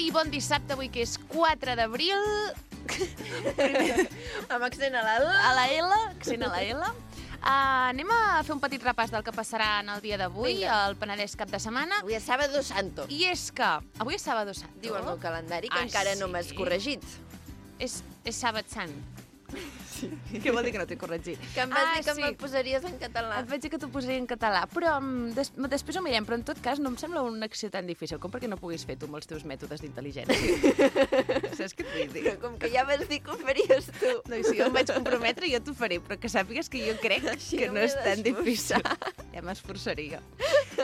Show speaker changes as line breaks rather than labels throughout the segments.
I bon dissabte, avui que és 4 d'abril.
Amb accent a la L.
A la L, accent a la L. Anem a fer un petit repàs del que passarà en el dia d'avui, al Penedès cap de setmana.
Avui és Sábado Santo.
I és que avui és Sábado Santo.
Diu el meu calendari que encara no m'has corregit.
És Sàbat Sant. Sí. Què vol dir que no t'he corregit?
Que em vas dir que me'l posaries en català.
Et vaig dir que t'ho posaria en català, però després ho mirem, però en tot cas no em sembla una acció tan difícil com perquè no puguis fer tu amb els teus mètodes d'intel·ligència. Saps què et vull dir?
Però com que ja vas dir que ho faries tu.
No, i si jo em vaig comprometre, jo t'ho faré, però que sàpigues que jo crec que no és tan difícil. Ja m'esforçaria.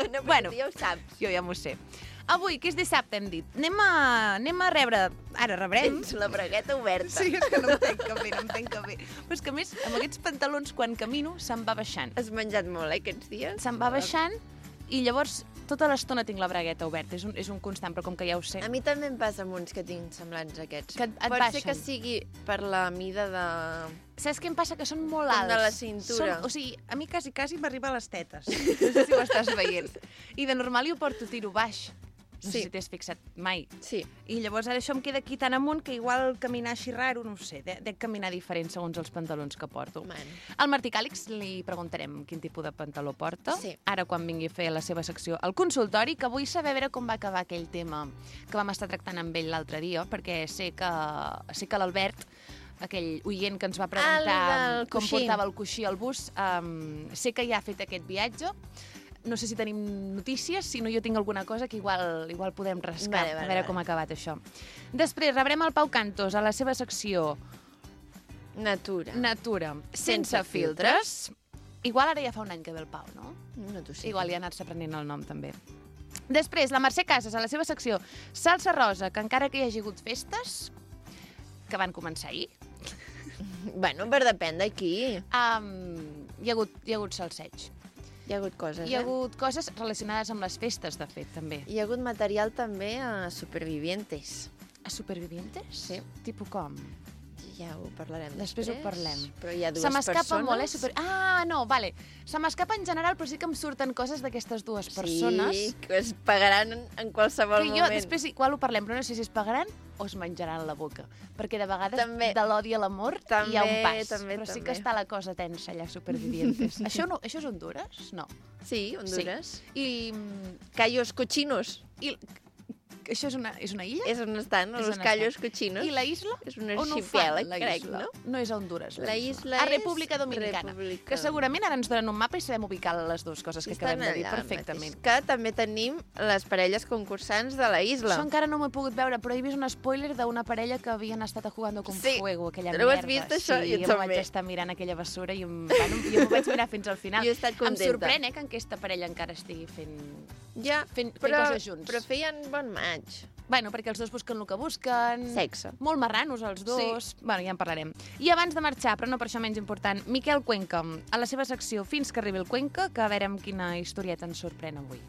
No, però tu ja ho saps.
Jo ja m'ho sé. Avui, que és dissabte, hem dit, anem a rebre... Ara rebrem...
Tens la bragueta oberta.
Sí, és que no em tenc que fer, no em tenc que fer. Però és que, a més, amb aquests pantalons, quan camino, se'm va baixant.
Has menjat molt, aquests dies?
Se'm va baixant i llavors tota l'estona tinc la bragueta oberta. És un constant, però com que ja ho sé...
A mi també em passa amb uns que tinc semblants a aquests.
Que et
Pot
baixen.
ser que sigui per la mida de...
Saps què em passa? Que són molt
Com
alts.
de la cintura.
O sigui, a mi quasi m'arriba a les tetes. No sé si ho estàs veient. I de normal jo porto tiro baix. No sé si t'has fixat mai.
Sí.
I llavors ara això em queda aquí tan amunt que igual caminar així raro, no ho sé, dec caminar diferent segons els pantalons que porto. Al Martí Càlix li preguntarem quin tipus de pantaló porta.
Sí.
Ara quan vingui a fer la seva secció al consultori, que vull saber a veure com va acabar aquell tema que vam estar tractant amb ell l'altre dia, perquè sé que l'Albert, aquell oient que ens va preguntar com portava el coixí al bus, sé que ja ha fet aquest viatge. No sé si tenim notícies, si no jo tinc alguna cosa que igual podem rascar, a veure com ha acabat això. Després rebrem el Pau Cantos a la seva secció
Natura.
Sense filtres. Igual ara ja fa un any que ve el Pau, no?
No t'ho sé.
Igual ja ha anat aprenent el nom, també. Després, la Mercè Casas, a la seva secció Salsa Rosa, que encara que hi hagi hagut festes, que van començar ahir.
Bueno, per depèn d'aquí.
Hi ha hagut salseig.
Hi ha hagut coses,
Hi ha hagut coses relacionades amb les festes, de fet, també.
Hi ha hagut material també a Supervivientes.
A Supervivientes?
Sí.
Tipus com?
Ja ho parlarem
després. Ho parlem.
Però hi ha dues
Se m'escapa
persones.
molt, no, vale. Se m'escapa en general, però sí que em surten coses d'aquestes dues persones.
Sí, que es pagaran en qualsevol
que
moment.
Jo després igual ho parlem, però no sé si es pagaran o es menjaran la boca. Perquè de vegades de l'odi a l'amor hi ha un pas. Però sí que està la cosa tensa allà, Supervivientes. Això és Honduras? No.
Sí, Honduras.
Sí.
Cayos Cochinos.
Això és una illa?
És on estan, els Cayos Cochinos.
I la isla?
És un arxipèlag, crec, no?
No és a Honduras,
la isla.
A República Dominicana. Que segurament ara ens donen un mapa i sabem ubicar les dues coses que acabem de dir perfectament.
Que també tenim les parelles concursants de la isla.
Això encara no m'ho he pogut veure, però he vist un spoiler d'una parella que havien estat jugando con fuego, aquella merda.
Ho has vist, això?
Sí, jo vaig estar mirant aquella bessura i m'ho vaig mirar fins al final.
Jo he estat contenta.
Em sorprèn, que aquesta parella encara estigui fent coses junts.
Però feien bon maig.
Bueno, perquè els dos busquen el que busquen.
Sexe.
Molt marranos, els dos. Sí. Bueno, ja en parlarem. I abans de marxar, però no per això menys important, Miquel Cuenca, a la seva secció Fins que arribi el Cuenca, que a veure amb quina historieta ens sorprèn avui.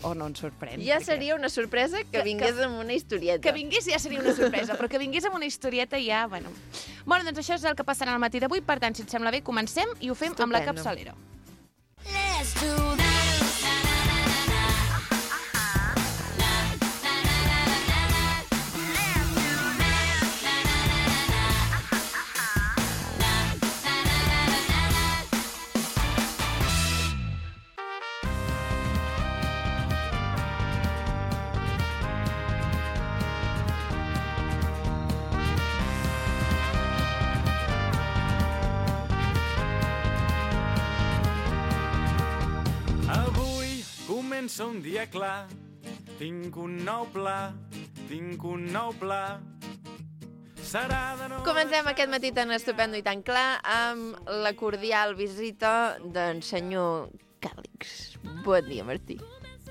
O no ens sorprèn.
Ja seria una sorpresa que vingués amb una historieta.
Que vingués ja seria una sorpresa, però que vingués amb una historieta ja, bueno. Bueno, doncs això és el que passarà al matí d'avui, per tant, si et sembla bé, comencem i ho fem amb la capçalera.
Let's do that.
Comença un dia clar, tinc un nou pla. Serà de nou...
Comencem aquest matí tan estupendo i tan clar amb la cordial visita d'en senyor Càlix. Bon dia, Martí.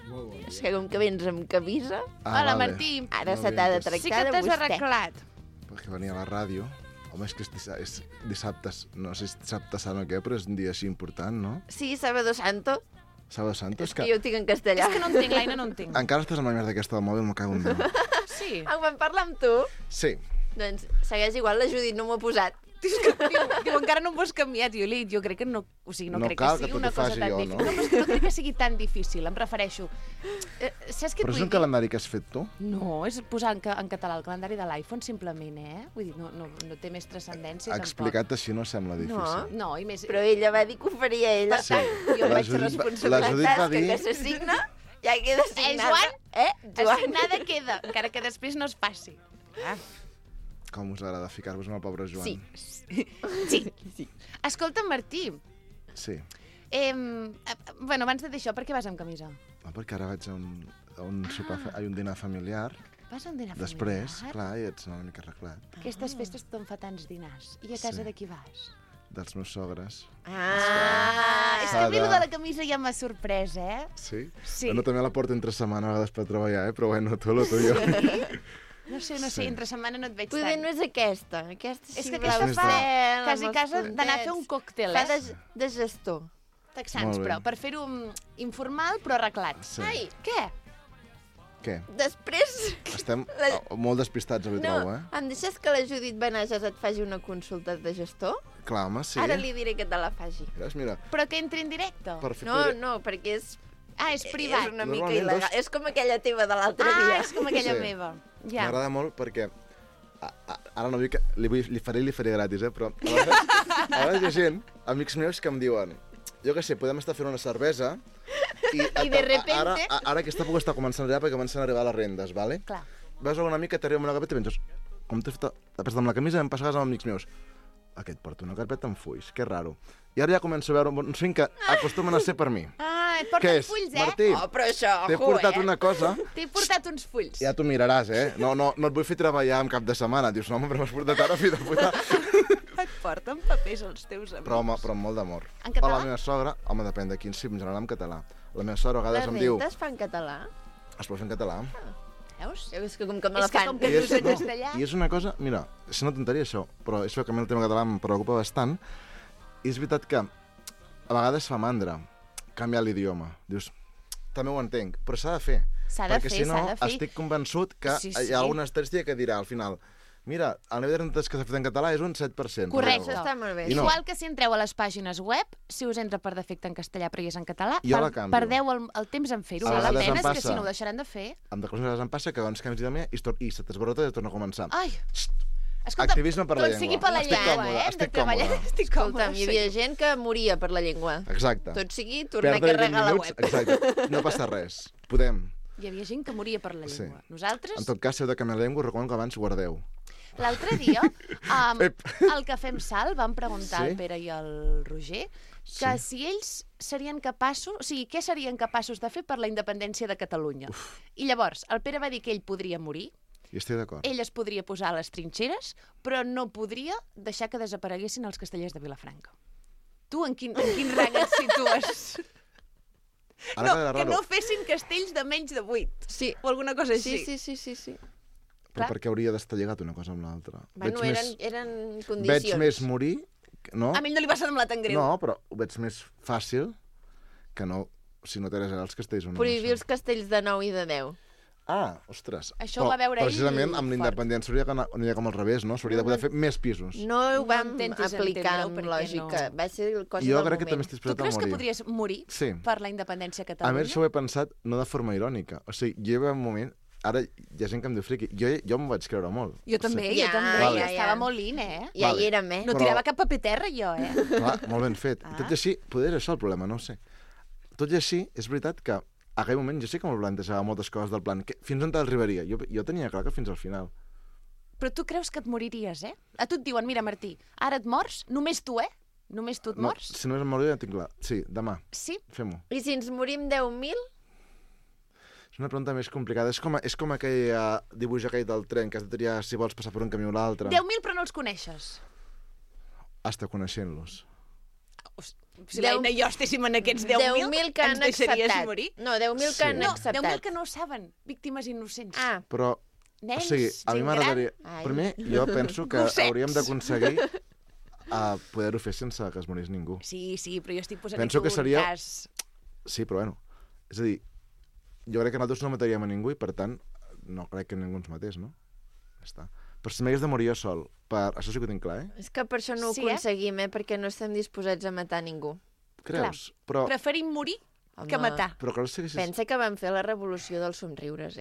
Molt bon dia.
És que com que vens amb camisa...
Hola, Martí.
Ara se t'ha de tractar de vostè.
Sí que t'has arreglat.
Perquè venia a la ràdio. Home, és que és dissabte, no sé si dissabte sant o què, però és un dia així important, no?
Sí, Sábado Santo.
Sábado Santo.
És que jo ho tinc en castellà.
És que no entenc, l'Aina no entenc.
Encara estàs amb la merda aquesta del mòbil, m'ho cago en Déu.
Sí.
Quan parla amb tu...
Sí.
Doncs segueix igual, la Judit no m'ho ha posat.
Diu, encara no m'ho has canviat. Jo crec que no... O sigui, no crec que sigui una cosa tan difícil. No, però és que no crec que sigui tan difícil, em refereixo. Saps què et
Però és
vull
un
dir?
calendari que has fet tu?
No, és posar en català el calendari de l'iPhone, simplement, Vull dir, no té més transcendència, tampoc.
Explicat així no sembla difícil.
No, i més...
Però ella va dir que ho faria ella.
Per tant, jo
La
vaig
Judit va-
responsabilitat.
la Judit va dir-
Que s'assigna, ja queda assignada.
Joan?
Joan?
Assignada queda, encara que després no es passi.
Com us agrada ficar-vos amb el pobre Joan?
Sí. Escolta, Martí,
Sí.
bueno, abans de dir això, per què vas amb camisa?
Perquè ara vaig a un sopar, a un dinar familiar.
Vas a un dinar
Després,
familiar?
clar, ja ets una mica arreglat.
Aquestes festes tothom fa tants dinars. I a casa
Sí.
de qui vas?
Dels meus sogres.
És que a mi
Cada-
lo de la camisa ja m'ha sorprès,
Sí?
Sí.
Bueno, també la porto entre setmana a vegades per treballar, però bueno, tu lo tuyo.
No sé,
Sí.
entre setmana no et veig
Poder
tant.
no és aquesta. Aquesta
És
sí,
que
blau
aquesta
fa
cel,
quasi
amb els
casa d'anar a fer un
puntets.
còctel,
Fa de gestor.
Texans,
Molt bé.
però, per fer-ho informal, però arreglat.
Sí.
Ai, què?
Què?
Després...
Estem
La-
molt despistats avui, trobo,
em deixes que la Judit Benages et faci una consulta de gestor?
Clar, home, sí.
Ara li diré que te la faci.
Veus, mira,
Però que entri en directe?
per fer...
No, perquè és
És privat.
és una mica
Normalment
il·legal.
dos-
És com aquella teva de l'altre dia.
És com aquella
Sí.
meva. Ja.
M'agrada molt perquè... Ara no vull que... Li faré gratis, però... A vegades hi ha gent, amics meus, que em diuen jo què sé, podem estar fent una cervesa
I de repente...
Ara aquesta època està començant a arribar perquè comencen a arribar les rendes, ¿vale?
Clar.
Veus algun amic que t'arriba amb una carpeta i penses com t'he fet la presta amb la camisa em passaves amb amics meus. Aquest porta una carpeta amb fulls, que raro. I ara ja començo a veure uns fins que acostumen a ser per mi.
Et
Què
porten
és,
fulls,
Martí?
Oh, però això,
T'he portat una cosa,
T'he portat uns fulls.
ja t'ho miraràs, No et vull fer treballar en cap de setmana. Dius, no, home, però m'has portat ara, fill de puta.
Et porten papers els teus amics.
Però amb molt d'amor.
En català?
A la meva sogra, home, depèn de quin, sí, en general en català. La meva sogra a
Les
vegades em diu...
rentes fa en català?
Es pot fer en català.
Veus?
És que com que me la
És que
fan.
com que dius en castellà...
I és una cosa, mira, és una tonteria això, però és que a mi el tema català em preocupa bastant. I és veritat que a vegades fa mandra canviar l'idioma. Dius, també ho entenc, però s'ha de fer.
S'ha de
Perquè
fer,
si no,
s'ha de fer.
estic convençut que
Sí,
hi
sí.
ha alguna estadística que dirà al final mira, el nivell de rentes que s'ha fet en català és un 7%.
Correcte.
Això està molt bé.
I no.
Igual que si entreu a les pàgines web, si us entra per defecte en castellà però hi és en català,
Jo la canvio.
perdeu el temps en fer-ho.
A
La
vegades em
pena és que
passa.
si no ho deixaran de fer...
Amb de coses em passa que doncs canvis d'idioma i se t'esborra tot i torna a començar.
Ai! Escolta,
Activisme per la
tot
llengua.
sigui per la
Estic
llengua,
còmode,
Hem
estic
de treballar,
còmode.
estic còmode.
Escolta'm, hi havia gent que moria per la llengua.
Exacte.
Tot sigui tornar a
Perdre 20
carregar la
minuts,
web.
exacte. No passa res. Podem.
Hi havia gent que moria per la
Sí.
llengua. Nosaltres,
En tot cas, si heu de canviar la llengua, us recomano que abans guardeu.
l'altre dia,
Ep.
al Cafè amb Sal, vam preguntar
Sí?
al Pere i al Roger que si ells serien capaços, o sigui, què serien capaços de fer per la independència de Catalunya. I llavors, el Pere va dir que ell podria morir,
I estic d'acord.
ell es podria posar a les trinxeres, però no podria deixar que desapareguessin els castellers de Vilafranca. Tu en quin rang et situes?
Ara queda
que
raro.
no fessin castells de menys de 8.
Sí.
O alguna cosa així.
Sí.
Però
clar.
per què hauria d'estar lligat una cosa amb l'altra?
Bueno, eren
Veig
condicions.
més morir, no?
A mi no li va semblar tan greu.
No, però ho veig més fàcil que no, si no t'eres els castells o no.
Prohibir els
això.
castells de 9 i de 10.
Ah, ostres.
Això ho va veure ell
precisament amb
fort.
l'independència hauria d'anar com al revés, no? S'hauria de poder fer més pisos.
No ho vam
intentis
aplicar
entendre-ho,
amb
perquè
lògica.
no.
Va ser cosa
Jo
del
crec que també
moment.
estic
Tu
disposat a
creus que
morir.
podries morir
Sí.
per la independència a
A
Catalunya?
més, això ho he pensat no de forma irònica. O sigui, jo hi va un moment... Ara hi ha gent que em diu friqui. Jo m'ho vaig creure molt.
Jo també,
Ja,
jo també.
Vale.
Estava molt in,
Ja
Vale.
hi érem,
No
Però-
tirava cap paper terra, jo,
Clar, molt ben fet.
Ah.
Tot i així, poder és això el problema, no ho sé. Tot i així, és veritat que a aquell moment jo sí que m'ho plantejava moltes coses del plan. Fins on t'arribaria? Jo tenia clar que fins al final.
Però tu creus que et moriries, A tu et diuen, mira, Martí, ara et mors, només tu, Només tu et
No,
mors?
si només em moriria, ja tinc clar. Sí, demà.
Sí?
Fem-ho.
I si ens morim 10.000?
És una pregunta més complicada. És com aquell dibuix aquell del tren, que has de triar si vols passar per un camí o l'altre.
10.000 però no els coneixes.
Hasta coneixent-los.
Si l'Aina i jo estéssim en aquests 10.000,
10.000 que
ens
han
deixaries
acceptat.
morir?
No, 10.000 que han
No,
acceptat.
10.000 que no ho saben, víctimes innocents.
Ah,
Però,
Nens,
o sigui, a mi
gent
m'agradaria...
gran. Ai.
Primer, jo penso que
Gossets.
hauríem d'aconseguir poder-ho fer sense que es morís ningú.
Sí, però jo estic posant
Penso
aquí
que seria-
un cas...
Sí, però bueno. És a dir, jo crec que nosaltres no mataríem a ningú i, per tant, no crec que ningú ens matés, no? Ja està. Però si m'hagués de morir jo sol, això sí que ho tinc clar,
És que per això no ho
Sí,
aconseguim, perquè no estem disposats a matar ningú.
Creus? Però
Preferim morir que
Home,
matar.
creus que haguessis...
Pensa que van fer la revolució dels somriures,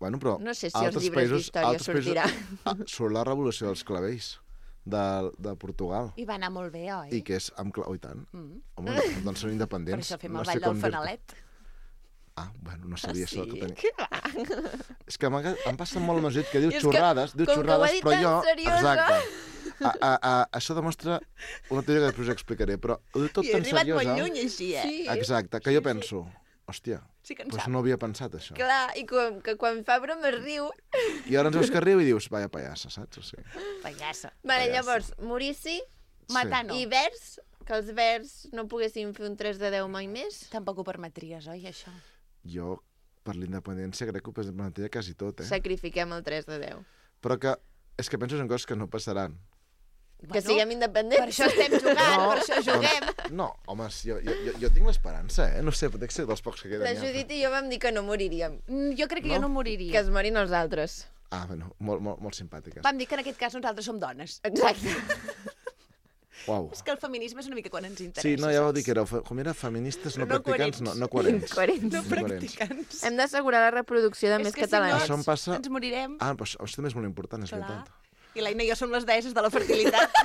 Bueno, però
No sé si als
altres
llibres
països-
d'història
altres països-
sortirà.
Surt la revolució dels clavells de Portugal.
I va anar molt bé, oi?
I que és amb Oh, i tant.
Mm.
Home, doncs són
Per
independents.
això fem
No
el
sé
ball
com
del
dir-te.
fanalet.
Bueno, no sabia això. Que tenia...
Què va?
És que em passa molt el meu que diu
És que,
xorrades,
com que ho ha dit
però
tan
jo...
seriosa.
Exacte. Això demostra una teoria que després explicaré, però ho diu tot
I he
tan
arribat molt
seriosa...
lluny així, eh?
Sí,
Exacte, que jo penso, hòstia,
Sí que en
doncs
sap.
no havia pensat això.
clar, i que quan fa broma es riu.
I ara ens veus que riu i dius, vaya pallassa, saps? O sigui,
Pallassa.
Vale,
Pallassa.
llavors, Maurici
Matar no.
i Vers, que els Vers no poguessin fer un 3 de 10 mai més.
Tampoc ho permetries, oi, això?
jo, per l'independència, crec que ho permetria quasi tot,
Sacrifiquem el 3 de 10.
Però que és que penso en coses que no passaran.
Que siguem independents.
Per això estem jugant, per això juguem.
No, home, jo tinc l'esperança, No sé, pot ser dels pocs que queden.
La
ja.
Judit i jo vam dir que no moriríem.
Jo crec que
No?
jo no
Que
moriria.
es morin els altres.
Bueno, molt simpàtiques.
Vam dir que en aquest cas nosaltres som dones.
Exacte.
Uau.
És que el feminisme és una mica quan ens interessa.
Sí, no, ja vau dir
saps?
que éreu, com era, feministes no,
No
practicants,
coherents.
no coherents.
Coherents.
No
Coherents.
practicants.
Hem d'assegurar la reproducció de
És
més
que si
catalans.
Això em passa...
Ens morirem.
Però això també és molt important, és
Clar.
veritat.
I l'Aina i jo som les deesses de la fertilitat.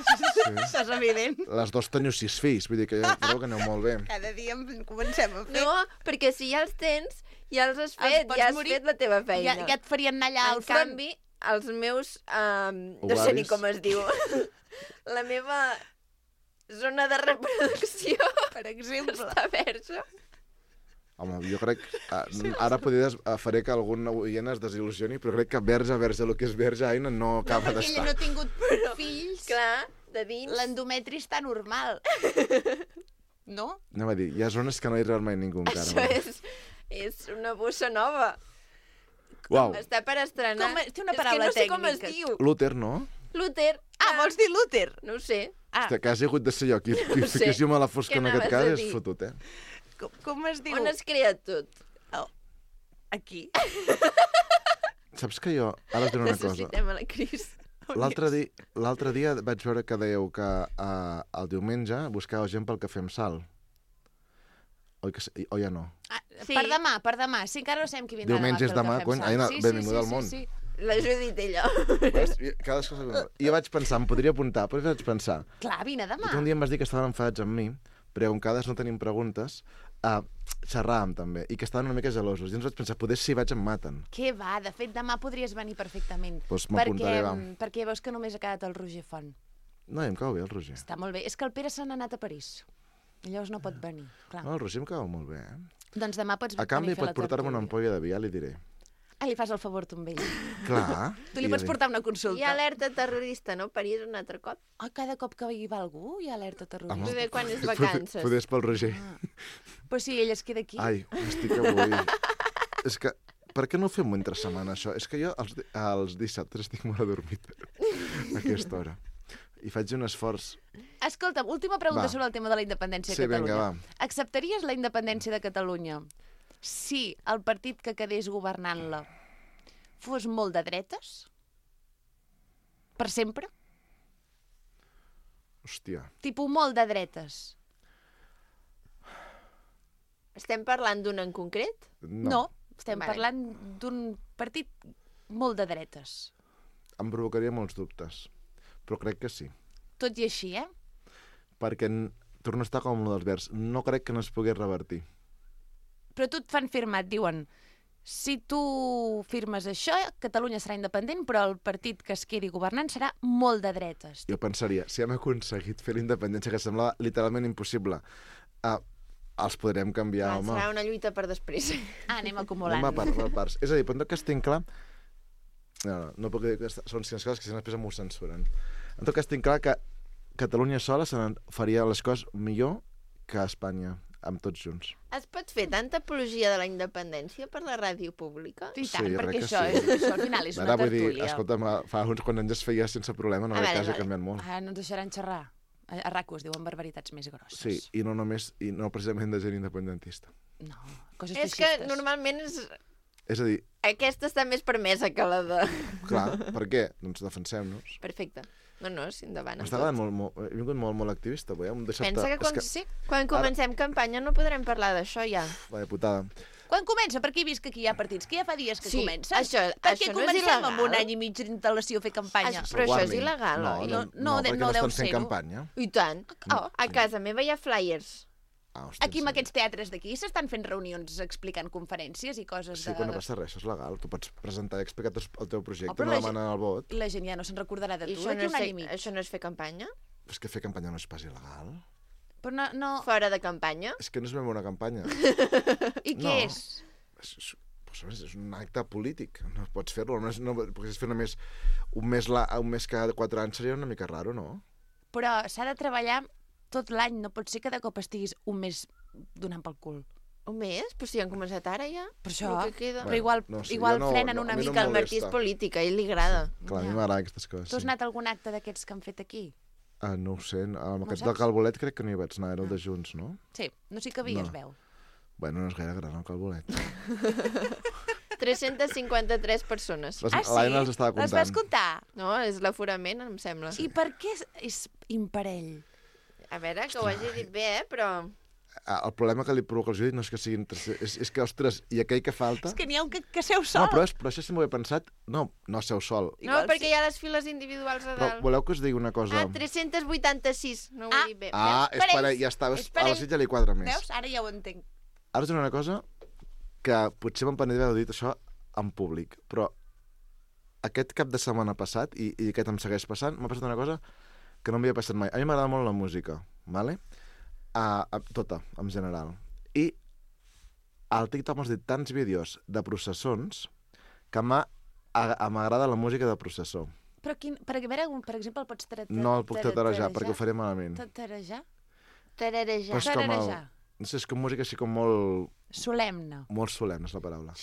Això és evident.
Les dos teniu 6 fills, vull dir que ja creu que aneu molt bé.
Cada dia en comencem a fer.
No, perquè si ja els tens, ja els has
Els
fet,
pots
ja has
morir.
fet la teva feina.
Ja et farien anar allà
En
al front.
canvi, els meus... no sé ni
Ovaris.
com es diu. La meva zona de reproducció
Per exemple.
està verge.
Home, jo crec... Ara podria faré que algun oient es desil·lusioni, però crec que verge, el que és verge, Aina, no acaba
perquè ella
d'estar.
no ha tingut fills.
Clar, de dins.
L'endometri està normal. No?
Anem a dir, hi ha zones que no hi arriba mai ningú encara.
Això és una bossa nova.
Uau,
Està per estrenar.
Té una paraula
és que no sé com es
tècnica.
diu.
l'úter, no?
Luther.
Ah, vols dir l'úter?
No ho sé.
Ah,
Hòstia, quasi he hagut de ser jo qui
No sé.
fiqués llum a la fosca
Què
en aquest
anaves a
cas,
dir?
és fotut,
com es diu?
On es crea tot?
Aquí.
Saps que jo, ara us diré una cosa.
Necessitem a la Cris.
L'altre dia vaig veure que dèieu que el diumenge buscàveu gent pel Cafè amb Sal. Oi, o ja no?
Ah,
Sí.
Per demà. Sí, encara no sabem qui vindrà
Diumenge és demà, cony. Aina, benvinguda al món.
La Judit, ella.
Cadascú sabe. I jo vaig pensar, em podria apuntar, però vaig pensar.
Clar, vine
I
demà.
tu un dia em vas dir que estaven enfadats amb mi, perquè com cada vegada no tenim preguntes, xerràvem també, i que estaven una mica gelosos. I ens vaig pensar, poder si vaig em maten.
Què va? De fet, demà podries venir perfectament.
Doncs m'apuntaré, va.
Perquè veus que només ha quedat el Roger Font.
No, em cau bé el Roger.
Està molt bé. És que el Pere se n'ha anat a París. I llavors no pot venir. Clar.
No, el Roger em cau molt bé,
Doncs demà pots
A canvi
venir a fer
pot portar-me una ampolla de vi, ja li diré.
Ah, li fas el favor tu amb ell.
Clar.
Tu li pots portar una
Hi
consulta.
ha alerta terrorista, no? París un altre cop.
Ah, cada cop que hi va algú hi ha alerta terrorista.
Home.
Poder quan és vacances.
Poder és pel Roger.
Però si ell es queda aquí.
Ai, estic avui... És que, per què no ho fem entre setmana, això? És que jo els dissabtes estic molt adormit a aquesta hora. I faig un esforç.
Escolta'm, última pregunta
Va.
sobre el tema de la independència
Sí,
de Catalunya.
vinga, va.
Acceptaries la independència de Catalunya si el partit que quedés governant-la fos molt de dretes? Per sempre?
Hòstia.
Tipus molt de dretes?
Estem parlant d'un en concret?
No. Estem
Vale.
parlant d'un partit molt de dretes.
Em provocaria molts dubtes. Però crec que sí.
Tot i així, eh?
Perquè torno a estar com el dels Verds. No crec que no es pogués revertir.
Però tu et fan firmar, et diuen si tu firmes això, Catalunya serà independent, però el partit que es quedi governant serà molt de dretes.
Jo pensaria, si hem aconseguit fer la independència, que semblava literalment impossible, els podrem canviar, home.
Serà una lluita per després.
Ah, anem acumulant.
Anem per parts. És a dir, però en tot cas tinc clar... No puc dir que són coses que després m'ho censuren. En tot cas tinc clar que Catalunya sola faria les coses millor que Espanya, amb tots junts.
Es pot fer tanta apologia de la independència per la ràdio pública?
I
Sí,
tant,
jo
perquè
crec que
això,
sí.
això al final és una
Ara vull dir,
tertúlia.
escolta'm, fa uns quants anys es feia sense problema, no
Ah,
crec
vale,
que hagi
vale.
canviat molt.
Ara no ens deixaran xerrar. A RAC1 es diuen barbaritats més grosses.
Sí, i no precisament de gent independentista.
No, coses
És que
feixistes.
normalment
És a dir,
Aquesta està més permesa que la de...
clar, per què? Doncs defensem-nos.
Perfecte. No, sí, endavant.
M'està agradant molt, he vingut molt activista, avui, hem deixat...
Pensa que
Sí.
quan comencem campanya no podrem parlar d'això ja.
Vaya putada.
Quan comença? Perquè he vist que aquí hi ha partits, que ja fa dies que
Sí,
comencen.
això
Per
no
què
és
comencem
il·legal?
amb un any i mig d'intel·lació a fer campanya?
Però això és
Warning.
il·legal,
no,
oi?
No,
No,
perquè
no
no
deu
estan fent
ser-ho.
campanya.
I tant.
Oh,
A casa meva hi ha flyers.
Ah, hòstia,
aquí
en
amb
sèrio?
aquests teatres d'aquí s'estan fent reunions explicant conferències i coses
Sí,
de...
quan no passa res, això és legal. Tu pots presentar i explicar el teu projecte,
Oh, però
no
la
demanen el vot.
I la gent ja no se'n recordarà de
I
tu
això
d'aquí un any i mig.
això no és fer campanya?
És que fer campanya no és pas il·legal.
Però no...
Fora de campanya?
És que no és ben una campanya.
I què
No.
és?
És un acte polític. No pots fer-lo. No pots fer només un mes cada 4 anys seria una mica raro, no?
Però s'ha de treballar tot l'any, no pot ser que de cop estiguis un mes donant pel cul.
Un mes? Però si han començat ara ja.
Per això,
El que queda.
però igual,
no sé,
igual
jo no-
frenen
no,
una
a mi no
mica.
Que el Martí és
molesta.
polític, a ell li agrada.
Clar, a mi
Ja.
m'agraden aquestes coses.
Tu has anat a algun acte d'aquests que han fet aquí?
No ho sé, amb aquest
saps?
del Calbolet crec que no hi vaig anar, era el de Junts, no?
Sí, no sé que havia,
No.
es veu.
Bueno, no és gaire gran el Calbolet.
353 persones.
L'Aina els estava
Les vas
comptant.
comptar?
No, és l'aforament, em sembla.
I per què és imparell?
A veure, que ho hagi dit bé, però...
El problema que li provoca el Judit no és que siguin... És que, ostres, i aquell que falta...
És que n'hi ha un que seu
No,
sol.
però això sí m'ho he pensat. No seu sol.
No,
Igual
perquè
sí.
hi ha les files individuals a
Però
dalt.
voleu que us digui una cosa?
Ah, 386, no ho he dit bé.
És
per
per
ells.
ja està.
És per
A la
ells.
Sitja li quadra més.
Veus? Ara ja ho entenc.
Ara us diré una cosa que potser me'n penedré d'haver dit això en públic, però aquest cap de setmana passat, i aquest em segueix passant, m'ha passat una cosa que no m'havia passat mai. A mi m'agrada molt la música, ¿vale? Tota, en general. I al TikTok m'has dit tants vídeos de processons que m'agrada la música de processó.
Però per exemple, el pots
No el puc tatarejar perquè ho faré malament.
Tatarejar?
Tararejar.
Però és com
Tararejar.
no sé, és com música així com molt
Solemne.
solemne, és la paraula.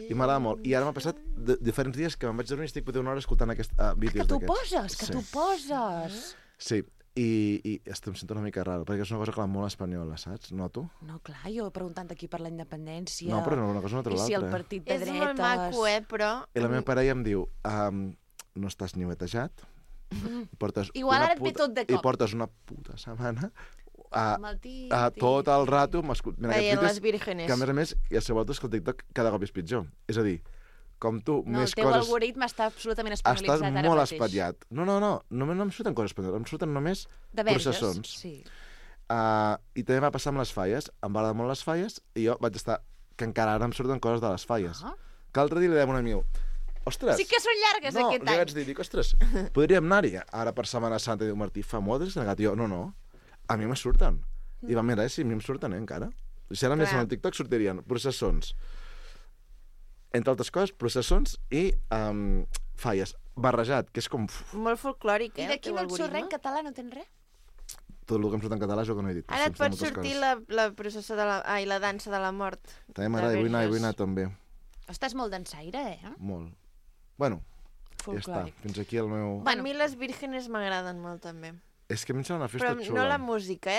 I m'agrada molt. I ara m'ha passat diferents dies que me'n vaig dormir i estic potser una hora escoltant aquests vídeos
Que t'ho
d'aquests.
poses, que t'ho poses.
Sí, i em sento una mica raro, perquè és una cosa, clar, molt espanyola, saps? Noto.
No, clar, jo preguntant aquí per la independència.
No, però una cosa no treu
I si el
l'altra.
partit de
És
dretes...
molt maco, però...
I la meva parella em diu, no estàs niuetejat, i portes
Igual
una
ara et ve tot de
I
cop.
portes una puta setmana
Amb el tit,
tot el rato m'escoltant
Veient les
aquests vídeos
vírgenes.
que, a més, i a sobretot que el TikTok cada cop és pitjor. És a dir, com tu,
No,
més
el teu
coses...
algoritme està absolutament
Estàs
espanyolitzat ara
molt
mateix.
espatllat. No em surten coses espanyoles, em surten només
De verges,
processons.
sí.
I també va passar amb les falles. Em va agradar molt les falles i jo vaig estar... Que encara ara em surten coses de les falles.
Ah.
Que l'altre dia li deia a un amic, ostres...
Sí que són llargues
no,
aquest
li
any.
vaig dir, ostres, podríem anar-hi ara per Setmana Santa. I diu, Martí, fa molt que negat. I jo, no, a mi me surten. I va mirar, si a mi em surten, encara. Si ara més en el TikTok sortirien processons. Entre altres coses, processons i falles. Barrejat, que és com...
Molt folclòric,
I d'aquí
el
no
teu
et surt res en
algoritme.
català, no tens res?
Tot el que em surt en català és el que no he dit.
Ara et
Em
pot
surten moltes
sortir
coses.
la processó de la... Ai, la dansa de la mort.
També m'agrada,
de
vull anar
verges.
també.
Estàs molt dansaire,
Molt. Bueno, ja està.
Folclòric.
Fins aquí el meu...
Bueno.
A mi les vírgenes m'agraden molt, també.
És que a mi em sembla una festa
Però
xula.
no la música,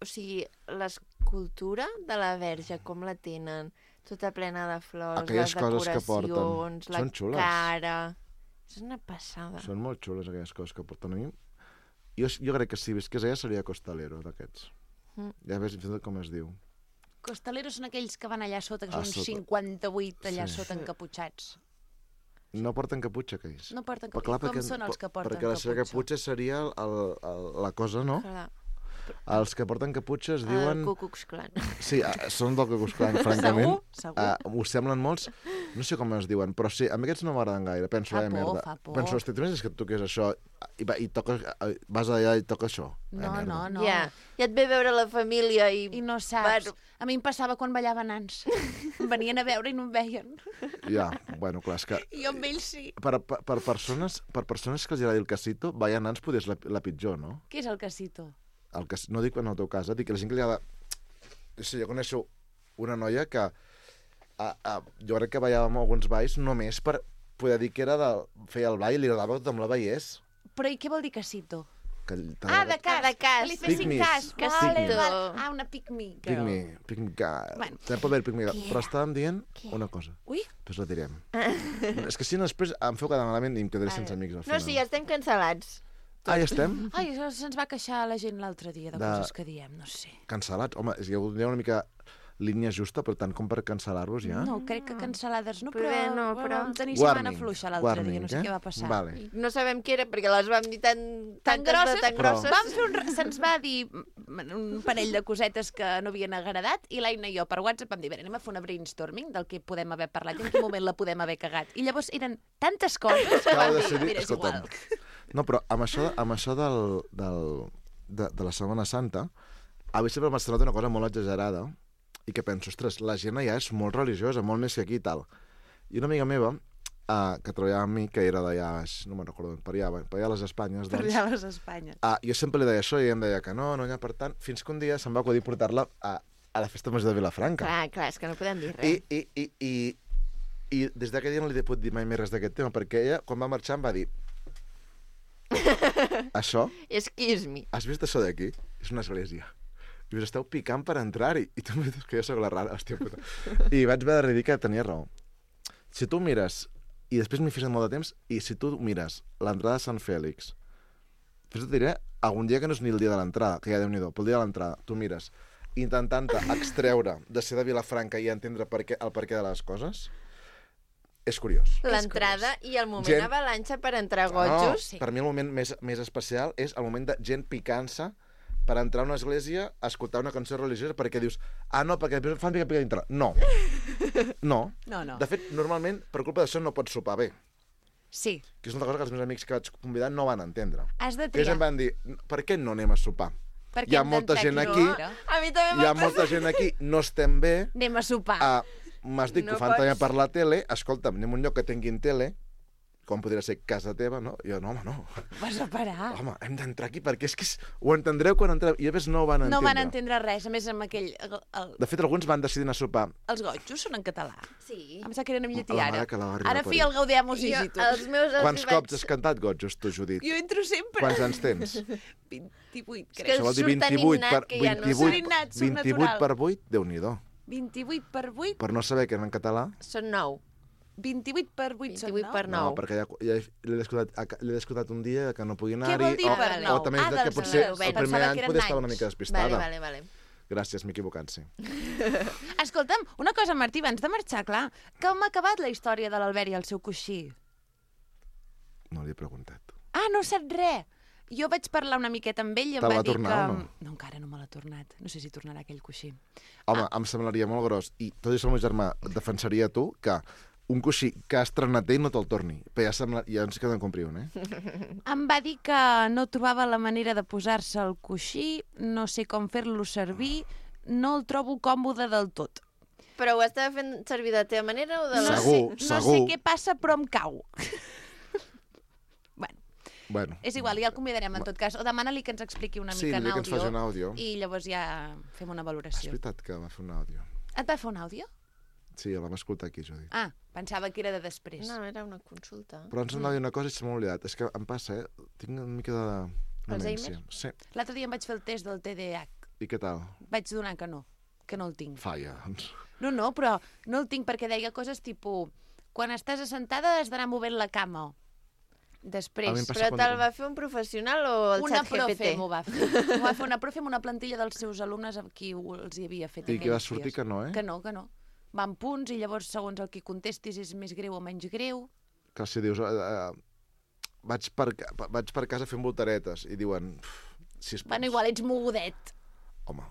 o sigui, l'escultura de la verge, com la tenen, tota plena de flors,
Aquelles
les
coses que porten.
decoracions, la
Són xules.
cara... És una passada.
Són molt xules aquelles coses que porten a mi. Jo crec que si visqués ella seria costalero d'aquests. Ja ves fins i tot com es diu.
Costaleros són aquells que van allà sota, que
A
són
sota.
58 allà
Sí.
sota encapuchats.
No porten caputxa, aquells.
No porten
Però
caputxa. Com són els que porten
perquè la seva caputxa seria la cosa, no?
Clar,
Els que porten caputxa es
el
diuen...
Ku Klux Klan.
Sí, són del Ku Klux Klan, francament.
Segur?
Ho semblen molts. No sé com es diuen, però sí, a mi aquests no m'agraden gaire. Penso,
Fa por,
merda.
fa por.
Penso, hosti, tu és que toques això i toques, vas allà i toques això.
No,
merda.
no.
Ja et ve veure la família i...
I no saps.
Bueno.
A mi em passava quan ballaven nans. Em venien a veure i no em veien.
Ja, bueno, clar, és que...
I jo amb ells sí.
Per persones que els agradi el casito, ballar nans potser és la pitjor, no?
Què és el casito?
No dic en el teu cas, dic que la gent que li agrada... Sí, jo coneixo una noia que jo crec que ballava amb alguns balls només per poder dir que era feia el ball i li agradava que tothom la veiés.
Però i què vol dir casito? De cas.
De cas.
Que li fessin
Pick-me's.
cas.
Casito.
Una pick-me
Pick
girl.
me girl.
Bueno.
També pot haver pick me girl. Però estàvem dient una cosa.
Ui,
Després la direm. És que si no, després em feu quedar malament i em quedaré sense amics al
No,
final.
sí, ja estem cancel·lats.
Ah, ja estem?
ai, se'ns va queixar la gent l'altre dia de coses que diem, no sé.
Cancel·lats? Home, hi ha una mica línia justa, però tant com per cancel·lar-vos ja.
No, crec que cancel·lades no,
Però
però vam tenir
Warning,
setmana fluixa l'altre dia, no sé
eh?
què va passar.
Vale.
No sabem què era, perquè les vam dir tan
grosses,
grosses.
Vam fer se'ns va dir un parell de cosetes que no havien agradat i l'Aina i jo per WhatsApp vam dir, anem a fer una brainstorming del que podem haver parlat i en quin moment la podem haver cagat. I llavors eren tantes coses que
Acabo
vam
de
dir,
decidir,
mira, és igual.
No, però amb això de la Setmana Santa, a mi sempre m'ha semblat una cosa molt exagerada i que penso, ostres, la gent allà és molt religiosa, molt més que aquí i tal. I una amiga meva, que treballava amb mi, que era d'allà, no me'n recordo, per allà a les Espanyes,
Per
doncs,
allà a les Espanyes.
jo sempre li deia això i ella em deia que no hi ha per tant, fins que un dia se'm va acudir portar-la a la festa major de Vilafranca.
Clar, és que no podem dir res.
I des d'aquell dia no li he pogut dir mai més res d'aquest tema, perquè ella, quan va marxar, em va dir això,
Excuse me.
has vist això d'aquí? És una església. I us esteu picant per entrar-hi. I tu em dius que jo sóc la rara, hòstia puta. I vaig haver de dir que tenia raó. Si tu mires, i després m'hi fes molt de temps, i si tu mires l'entrada de Sant Fèlix, després et diré algun dia que no és ni el dia de l'entrada, que ja Déu-n'hi-do, però el dia de l'entrada, tu mires, intentant-te extreure de ser de Vilafranca i entendre el perquè de les coses, és curiós.
L'entrada i el moment
Gent-
avalanxa per entrar gotjos.
Sí.
Per mi el moment més especial és el moment de gent picant-se per entrar a una església a escoltar una cançó religiosa perquè dius, no, perquè fan pica dintre. No. No.
No.
De fet, normalment, per culpa d'això, no pots sopar bé.
Sí,
Que és una cosa que els meus amics que vaig convidar no van entendre.
has de
Ells
triar.
em van dir, per què no anem a sopar?
Perquè
Hi ha
hem
molta
d'entrar
gent
aquí
aquí,
dintre.
A mi també
hi ha
m'ha
molta gent aquí, no estem bé,
Anem a sopar.
m'has dit que
No
ho fan també
pots.
per la tele, escolta'm, anem a un lloc que tinguin tele, com podria ser casa teva, no? I jo, no, home, no.
Vas a parar.
Home, hem d'entrar aquí perquè és que ho entendreu quan entreu. I a més no ho van entendre.
No van entendre res, a més amb aquell...
De fet, alguns van decidir anar a sopar.
Els gotjos són en català.
Sí.
Em sembla que eren en llatí
La
ara.
mare que la va arribar
Ara
a
feia el Gaudeamus
Jo,
Igitur.
els meus...
Quants cops has cantat gotjos, tu, Judit?
Jo entro sempre.
Quants anys tens?
28,
És que
crec.
Això vol dir
surt tan
28
innat que ja no
28,
Surt innat, surt
28
natural.
per 8, Déu-n'hi-do.
28 per 8?
Per no saber que era en català,
Són 9.
28 per 8 són
28 per 9.
no, perquè ja l'he descodat un dia que no pugui anar-hi.
Què vol dir per
vale.
nou?
O també és que
dels
potser
meus.
el
Pensava
primer
que
any
eren
poder estava una
anys.
mica despistada.
Vale.
Gràcies, m'he equivocat, sí.
Escolta'm, una cosa, Martí, abans de marxar, clar, com ha acabat la història de l'Albert i el seu coixí?
No li he preguntat.
No saps res. Jo vaig parlar una miqueta amb ell i em
Te
va
l'ha
dir
tornat
que...
o no?
No, encara no me l'ha tornat. No sé si tornarà aquell coixí.
Home, em semblaria molt gros. I tot això el meu germà defensaria tu que un coixí que has estrenat ell no te'l torni. Però ja ens queda en comprir un,
Em va dir que no trobava la manera de posar-se el coixí, no sé com fer-lo servir, no el trobo còmode del tot.
Però ho estava fent servir de la teva manera o de la...
Segur.
No sé què passa, però em cau.
Bueno,
És igual, ja el convidarem en tot cas. O demana-li que ens expliqui una
sí,
mica en
dile que ens faci un
àudio.
àudio.
I llavors ja fem una
És
valoració.
veritat que va fer un àudio.
Et va fer un àudio?
Sí, el vam escoltar aquí, Judit.
Pensava que era de després.
No, era una consulta.
Però ens anava a dir una cosa i se m'ha oblidat. És que em passa, Tinc una mica de demència.
Alzheimer?
Sí.
L'altre dia em vaig fer el test del TDAH.
I què tal?
Vaig donar que no el tinc.
Falla, doncs.
No, però no el tinc perquè deia coses tipus quan estàs assentada has d'anar movent la cama. Després,
A mi em passa
Però
quan-
te'l va fer un professional o el
una
xat
profe
GPT?
m'ho va fer. M'ho va fer una profe amb una plantilla dels seus alumnes amb qui els hi havia fet
I que va
aquells
sortir
dies.
que no,
Que no. Va en punts i llavors segons el que contestis és més greu o menys greu.
Que si dius... vaig per casa fent voltaretes i diuen... 6 punts.
Bueno, igual ets mogudet.
Home,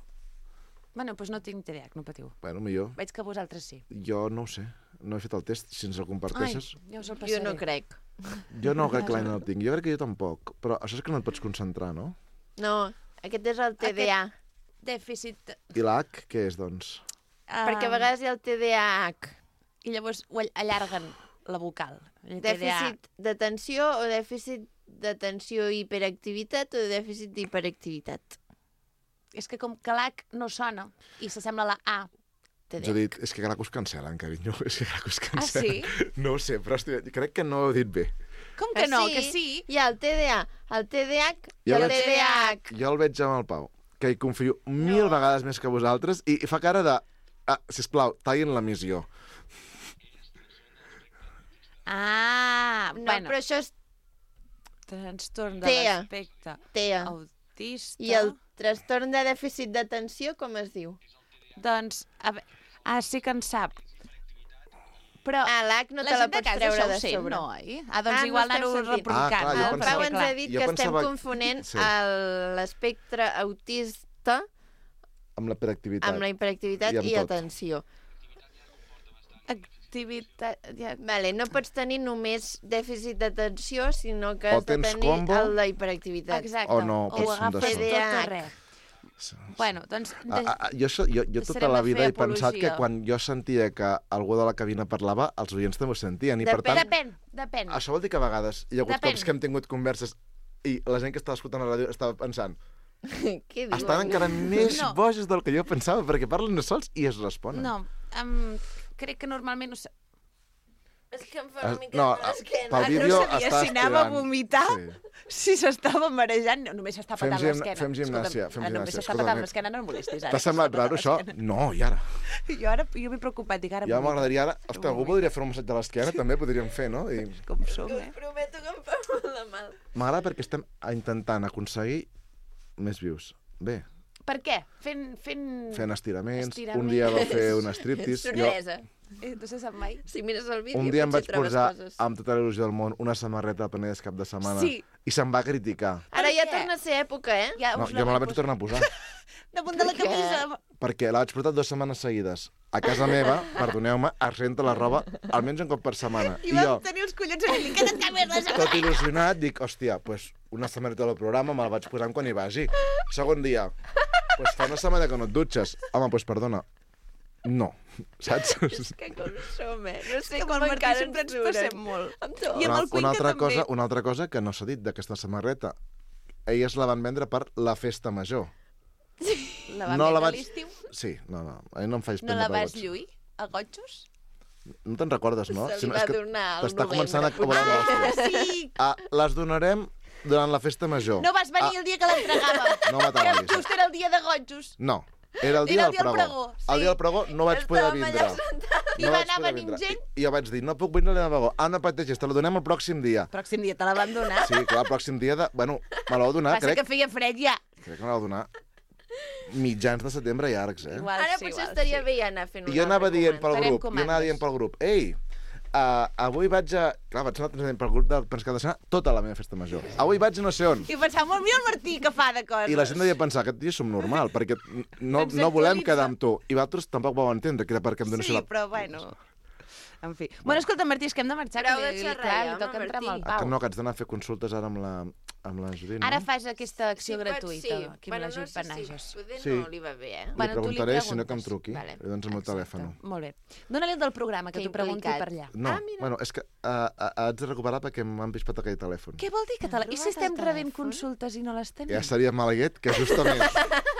Bueno, doncs no tinc TDAH, no patiu.
bueno, millor.
Veig que vosaltres sí.
Jo no ho sé. No he fet el test. Si ens el comparteixes...
ja us el
Jo
passaré.
no crec.
Jo no, que clar, no el tinc. Jo crec que jo tampoc. Però això és que no et pots concentrar, no?
No, aquest és el TDA.
Dèficit...
I l'H, què és, doncs?
Perquè a vegades hi ha el TDAH.
I llavors ho allarguen la vocal. El
Dèficit d'atenció o dèficit d'atenció i hiperactivitat o dèficit d'hiperactivitat.
És que com que l'H no sona i s'assembla a la A,
Jo he dit, és que clar que us cancel·len, carinyo. És que clar que us cancel·len.
sí?
No ho sé, però crec que no ho he dit bé.
Com que no? Que sí?
Hi ha el TDA, el TDAH i
Jo
el
veig-
TDAH.
Jo el veig amb el Pau, que hi confio 1000 vegades més que vosaltres i fa cara de... sisplau, tallin la missió.
Ah,
No,
bueno,
però això és
trastorn de
TEA.
l'aspecte
TEA.
autista.
I el trastorn de dèficit d'atenció, com es diu?
Doncs, sí que en sap. Però
L'H no
la
te la
gent de
pots
casa
treure
això
de
ho sent,
sobre.
no, oi? Doncs
no
igual
esteu
anar-ho
sentint.
replicant.
clar, jo
El
pensava-
Pau ens ha dit
jo
que estem
pensava-
confonent
Sí.
l'espectre autista
Amb la hiperactivitat.
amb la hiperactivitat
I amb
i
tot.
atenció.
Activitat... Ja...
Vale, no pots tenir només dèficit d'atenció, sinó que
O
has de
tens
tenir
combo,
el de hiperactivitat.
Exacte.
O no, pots
ho
ser un
agafes
d'això.
tot o res. Bueno, doncs...
Jo tota
Deixarem
la
de
vida
fer
he pensat que
apologia.
quan jo sentia que algú de la cabina parlava, els oients també ho sentien. I per tant,
Depèn.
això vol dir que a vegades hi ha hagut
Depèn.
cops que hem tingut converses i la gent que estava escoltant la ràdio estava pensant
Què diuen?
estan encara més
No.
boges del que jo pensava, perquè parlen no sols i es responen.
No, crec que normalment...
És que em fa una mica
No,
de mal esquena.
pel
no
vídeo
sabia
està
si anava a
estirant.
vomitar. Si s'estava marejant, només s'està
Fem
patant l'esquena.
fem gimnàsia,
Escolta'm,
fem
ara només
gimnàsia.
s'està
Escolta,
patant l'esquena, no em molestis. Ara,
T'ha semblat raro, això? No, i ara?
Jo m'he preocupat, dic ara...
Ja
vomito.
m'agradaria ara... Ostres, algú podria fer un massatge a l'esquena, també podríem fer, no? I
Com som,
Us prometo que em fa molt de mal.
m'agrada perquè estem intentant aconseguir més views. Bé,
Per què? Fent...
fent estiraments, un
Estiraments.
dia va fer un striptease.
Sorpresa.
No se sap mai.
Si mires el vídeo,
Un dia em vaig
potser trobes
posar
coses.
amb tota la il·lusió del món una samarreta de Penedès cap de setmana
Sí.
i se'm va criticar.
Ara ja
què?
torna a ser època, eh?
Ja
No,
us
jo me la vaig tornar a posar,
Damunt de la
Per què?
camisa.
perquè la vaig portar 2 setmanes seguides. A casa meva, perdoneu-me, es renta la roba almenys un cop per setmana.
I
I
vam
jo,
tenir els collons a dir que no canvies la
tot il·lusionat, dic, hòstia, pues, una samarreta del programa me la vaig posant quan hi vagi. Segon dia, pues fa una setmana que no et dutxes. Home, pues perdona, no, saps?
És que com som, eh? No sé
Que amb
com
el Martí
encara
sempre ens
durem.
passem molt.
Amb tot.
I amb el Cuenca també.
Una altra cosa que no s'ha dit d'aquesta samarreta. Elles la van vendre per la festa major.
La vam
No la
veure a
vaig-
l'estiu?
Sí, no, a mi no em faig
No
prendre
la
per
vas
boig.
lluir? A gotxos?
No te'n recordes, no?
Se li
no,
va
és que
donar al
t'està
novembre,
començant a
potser.
volar l'hòstia.
Sí!
Les donarem durant la festa major.
No vas venir el dia que l'entregàvem.
No m'ataballis.
Just era el dia de gotxos.
No, era el dia
Era el
del
dia del
pregó.
pregó, sí.
El dia del pregó no vaig poder
Estàvem
vindre.
allà sentats.
I
No
va
vaig
anar
poder
venint
vindre.
gent.
I jo vaig dir, no puc vindre a la pregó. Ah, no pateixis, te la donem el pròxim dia.
Pròxim dia te la van donar.
Sí, clar, el pròxim dia de... Bueno, me la va donar,
Passa
crec.
que feia fred ja.
Crec que me la va donar mitjans de setembre llargs, eh?
Igual,
Ara
sí,
potser
igual,
estaria
sí.
bé ja anar fent un
I jo anava
altre
dient pel
comand.
Farem
grup, jo anava
comandes.
dient pel grup, ei, avui vaig a... Clar, vaig anar transmetent pel grup de Pens Cada Setmana tota la meva festa major. Avui vaig a no sé on.
I pensava, molt millor el Martí que fa de coses.
I la gent devia pensar, aquest tio som normal, perquè no,
Ens
no volem
actualitza.
quedar amb tu. I vosaltres tampoc vau entendre que era perquè em donessin
Sí,
la...
però bueno... En fi. Bueno, escolta, Martí, és que hem de marxar.
Prou
que
de
li,
xerrar,
clar,
ja,
li
home,
toca entrar amb el
Martí.
Ah, que
Pau.
no, que haig d'anar a fer consultes ara amb la Judit, no?
Ara fas aquesta acció
Sí,
gratuïta,
sí.
aquí amb la Judit
no
Panages.
sé si poder
Sí.
no li va bé, eh?
Li
Bueno, tu li
preguntaré, si no que em
preguntes.
truqui.
Vale.
Doncs el meu
Exacte.
telèfon.
Molt bé. Dóna-li el del programa, que
Que
t'ho pregunti
implicat.
per allà.
No,
Ah, mira.
bueno, és que haig de recuperar perquè m'han pispat aquell telèfon.
Què vol dir que te la... I si
robat
estem
el
rebent
telèfon?
consultes i no les tenim?
Ja seria malaguet que justament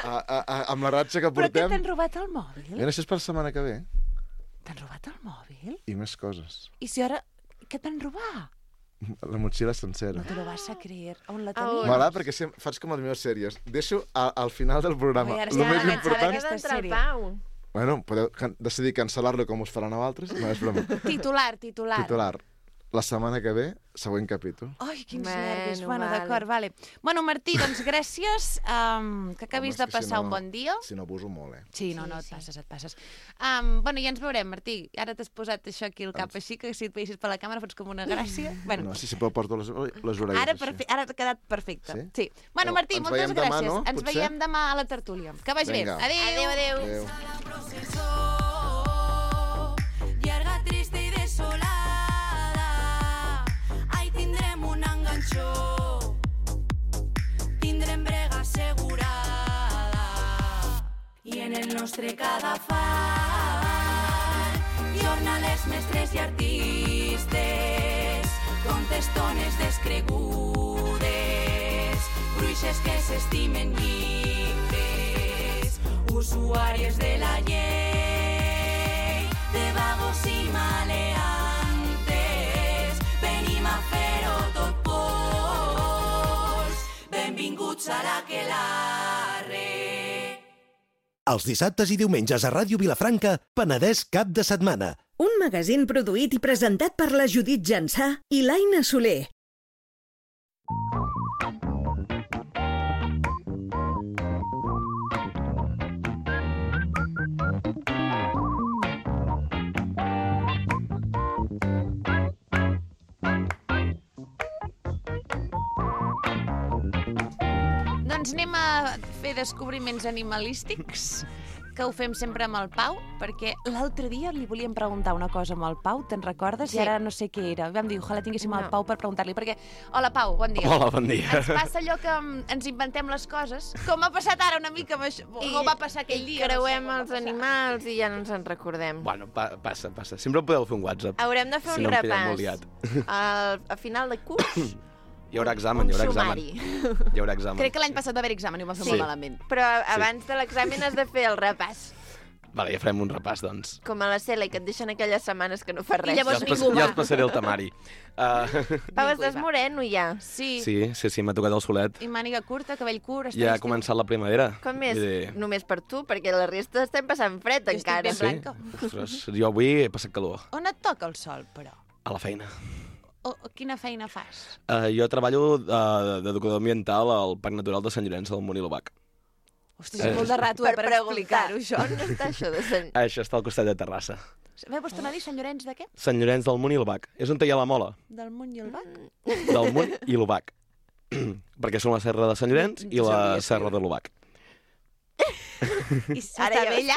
amb la ratxa que
Però què
portem...
t'han robat el mòbil?
Mira, això és per la setmana que ve.
T'han robat el mòbil?
I més coses.
I si ara... Què t'han robat?
La motxilla sencera.
No te lo vas a creer. On la
A on?
tenies?
M'agrada perquè faig com les meves sèries. Deixo al final del programa.
Ui, ara
El
estem
més
començant
important...
aquesta
d'entrar al
sèrie.
Pau.
Bueno, podeu decidir cancel·lar-lo com us faran a altres. No és broma.
Titular.
Titular. La setmana que ve, següent capítol.
Ai, quins
Bueno,
nervis. Bueno,
vale.
d'acord, vale. Bueno, Martí, doncs gràcies. Que acabis
Home,
de
és que
passar
si no-
un bon dia.
Si no, abuso molt, eh?
Sí, no,
Sí,
no, et
sí.
passes, et passes. Bueno, ja ens veurem, Martí. Ara t'has posat això aquí al cap així, que si et veiessis per la càmera fots com una gràcia. Bueno,
No, si sempre porto les orelles
ara,
així.
ara t'ha quedat perfecte.
Sí?
Sí. Bueno, Martí,
Ens
moltes
veiem demà,
gràcies.
no?
Ens
Potser?
veiem demà a la tertúlia. Que vagi
Vinga.
bé. Adéu.
Adéu.
Llarga, trista i desolada, ai, tindrem un enganxó, tindrem brega assegurada, i en el nostre cadafal, jornalers, mestres i artistes, contestones descregudes, bruixes que s'estimen lliures, usuàries de la llei, de vagos i maleantes, venim a fer-ho tot. aquelarre.
Els dissabtes i diumenges a Ràdio Vilafranca, Penedès cap de setmana.
Un magazín produït i presentat per la Judit Jansà i l'Aina Soler.
Doncs anem a fer descobriments animalístics, que ho fem sempre amb el Pau, perquè l'altre dia li volíem preguntar una cosa amb el Pau, te'n recordes?
Sí.
I ara no sé què era. Vam dir, ojalà tinguéssim el Pau per preguntar-li, perquè... Hola, Pau, bon dia.
Hola, bon dia.
Ens passa allò que ens inventem les coses, com ha passat ara una mica amb això, com va passar aquell dia.
I creuem els animals i ja no ens en recordem.
Bueno, passa. Sempre podeu fer un WhatsApp.
Haurem de fer
Si
un
no em pillem molt
repàs.
liat.
A final de curs,
Hi haurà examen,
un
hi haurà examen.
sumari.
Hi haurà examen.
Crec que l'any passat va haver examen i ho vam fer
Sí.
molt malament.
Però abans de l'examen has de fer el repàs.
Vale, ja farem un repàs, doncs.
Com a la Cela, que et deixen aquelles setmanes que no fas res.
I llavors
ja
ningú va.
els passaré el temari.
Pau, estàs moreno ja.
Sí.
Sí, m'ha tocat el solet.
I màniga curta, cabell curt...
Ja ha començat la primavera.
Com és?
Vull dir,
Només per tu, perquè la resta estem passant fred
Jo estic
encara.
ben
Sí?
blanca.
Ostres, jo avui he passat calor.
On et toca el sol, però?
A la feina.
O quina feina fas?
Jo treballo d'educador ambiental al Parc Natural de Sant Llorenç del Munt i l'Obac.
Ostres, és molt de rato per explicar-ho, això.
On està això de Sant...
Això està al costat de Terrassa.
Vols tornar a dir Sant Llorenç de què?
Sant Llorenç del Munt i l'Obac. És on hi ha la mola.
Del Munt i el Bac?
Del Munt i l'Obac. Perquè són la serra de Sant Llorenç i la serra de l'Obac.
I està bé allà?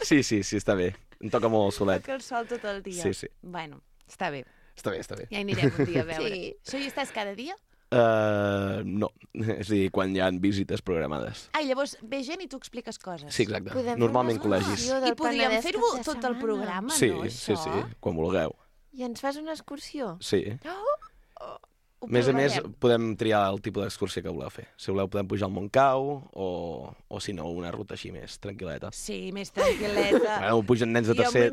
Sí, està bé. Em toca molt el solet.
Toca el sol tot el dia.
Sí.
Bueno, està bé.
Està bé.
Ja hi anirem un dia a veure.
Sí.
Això hi estàs cada dia?
No. És a dir, quan hi ha visites programades.
Ah, i llavors ve gent i tu expliques coses.
Sí, exacte.
Podem fer
Normalment
una
col·legis.
excursió del
I podríem
Penedès
fer-ho
cap de
tot el
setmana.
programa,
Sí,
no, això?
sí, quan vulgueu.
I ens fas una excursió?
Sí.
Ho
A més a més,
provarem.
podem triar el tipus d'excursió que voleu fer. Si voleu, podem pujar al Montcau o si no, una ruta així més tranquil·leta.
Sí, més tranquil·leta.
Bueno, pugen nens de tercer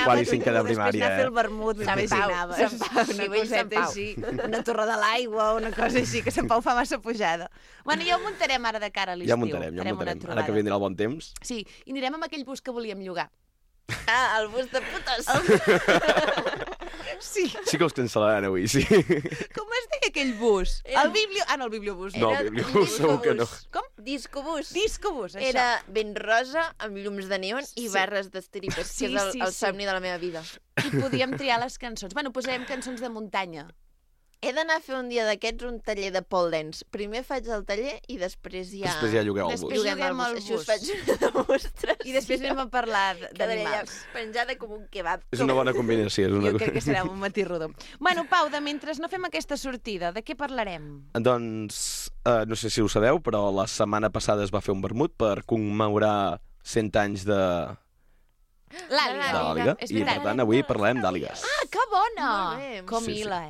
quart i cinquè de
Després
primària,
anar a fer el vermut,
Sant Pau,
m'imaginaves.
Sant Pau,
Una
nivell Sant
coseta
Pau.
així, una torre de l'aigua, una cosa així, que Sant Pau fa massa pujada. Bueno, ja ho muntarem ara de cara a l'estiu.
Ja muntarem.
Farem una
Ara que
trobada.
vindrà el bon temps.
Sí, i anirem amb aquell bus que volíem llogar.
Ah, el bus de putes.
Sí.
Sí que us cancel·laran avui, sí.
Com es deia aquell bus?
Era-
El biblio... Ah, no, el bibliobús.
No,
Era
el bibliobús segur que no.
Com?
Discobús.
Discobús, això.
Era ben rosa, amb llums de neon i
Sí.
barres d'estripes,
Sí,
que és
sí,
el
sí.
somni de la meva vida.
I podíem triar les cançons. Bueno, posarem cançons de muntanya.
He d'anar a fer un dia d'aquests un taller de pole dance. Primer faig el taller i després ja...
Després ja llogueu el
Després
bus.
lloguem el
Això
bus.
us faig una demostració.
I després anem a parlar
Quedaré allà
d'animals.
penjada com un kebab.
És una bona combinació. És una...
Jo crec que serà un matí rodó. Bueno, Pau, de mentre no fem aquesta sortida, de què parlarem?
Doncs, no sé si ho sabeu, però la setmana passada es va fer un vermut per commemorar 100 anys de
L'àliga.
l'àliga.
És
I, per
veritat.
tant, avui parlem d'àligues.
Ah, que bona!
Molt bé.
Com
Sí, sí.
Ila,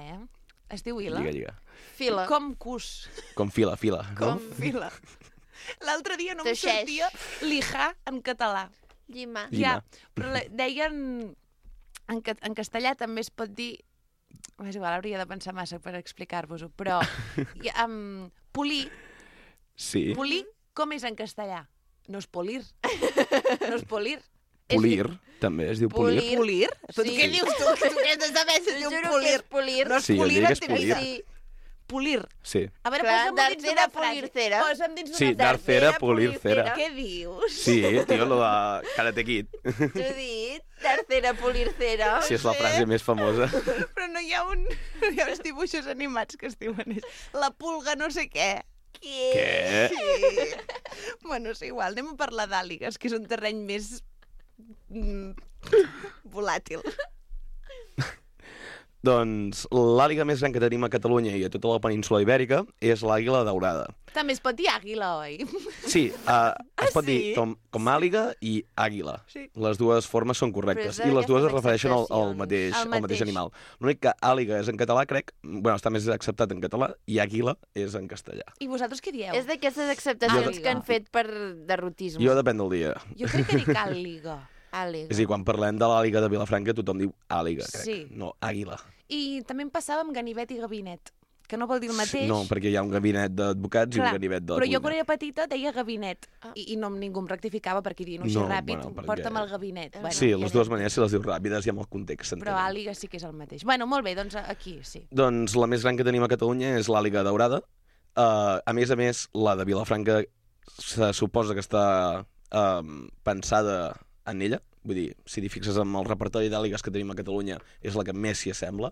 Es diu Ila?
Lliga.
Fila.
Com cus.
Com fila.
Com fila. L'altre dia no em
Teixeix.
sortia lijar en català.
Llima.
Llima.
Ja, però deien... En castellà també es pot dir... És igual, hauria de pensar massa per explicar-vos-ho, però... Polir,
Sí.
polir, com és en castellà? No és polir. No és polir.
Polir, també es diu polir.
Polir? Però
Sí.
què dius tu? Tu què has de saber si es diu
Juro que
polir?
és polir.
No és
Sí, jo
polir
diria que
en
és
teva
polir.
vida.
Sí.
Polir.
Sí.
A veure,
Clar,
posa'm dins
d'arcera,
d'una frase.
polir cera.
Posa'm dins d'una
Sí,
frase.
d'arcera, polir cera.
Què dius?
Sí, tio, lo de Karate Kid.
T'ho he dit. Tercera, polir cera.
Sí, és la frase més famosa.
Però no hi ha uns dibuixos animats que es diuen és la pulga no sé què.
Què?
Sí. Bueno, és igual, anem a parlar d'àligues, que és un terreny més volàtil.
Doncs l'àliga més gran que tenim a Catalunya i a tota la península ibèrica és l'àguila daurada.
També es pot dir àguila, oi?
Sí, es pot
sí?
dir com àliga i àguila.
Sí.
Les dues formes són correctes.
Però és
I les dues es
d'aquestes
refereixen al
acceptacions.
mateix,
Al
al mateix
mateix.
animal. L'únic que àliga és en català, crec, bueno, està més acceptat en català, i àguila és en castellà.
I vosaltres què dieu?
És d'aquestes acceptacions
Àliga.
que han fet per derrotisme.
Jo depèn del dia.
Jo crec que dic àliga.
Àliga.
És a dir, quan parlem de l'àliga de Vilafranca, tothom diu àliga, crec.
Sí.
No, àguila.
I també em passava amb ganivet i gabinet, que no vol dir el mateix.
No, perquè hi ha un gabinet d'advocats i un gabinet de la
però
cuina.
jo quan era petita deia gabinet i no, ningú em rectificava perquè diuen així ràpid, porta'm el gabinet. Bueno,
sí, les dues maneres, si les dius ràpides i amb el context s'entenen.
però àliga sí que és el mateix. Bueno, molt bé, doncs aquí sí.
Doncs la més gran que tenim a Catalunya és l'àliga daurada. A més, la de Vilafranca se suposa que està pensada en ella. Vull dir, si t'hi fixes amb el repertori d'àligues que tenim a Catalunya, és la que més s'hi assembla.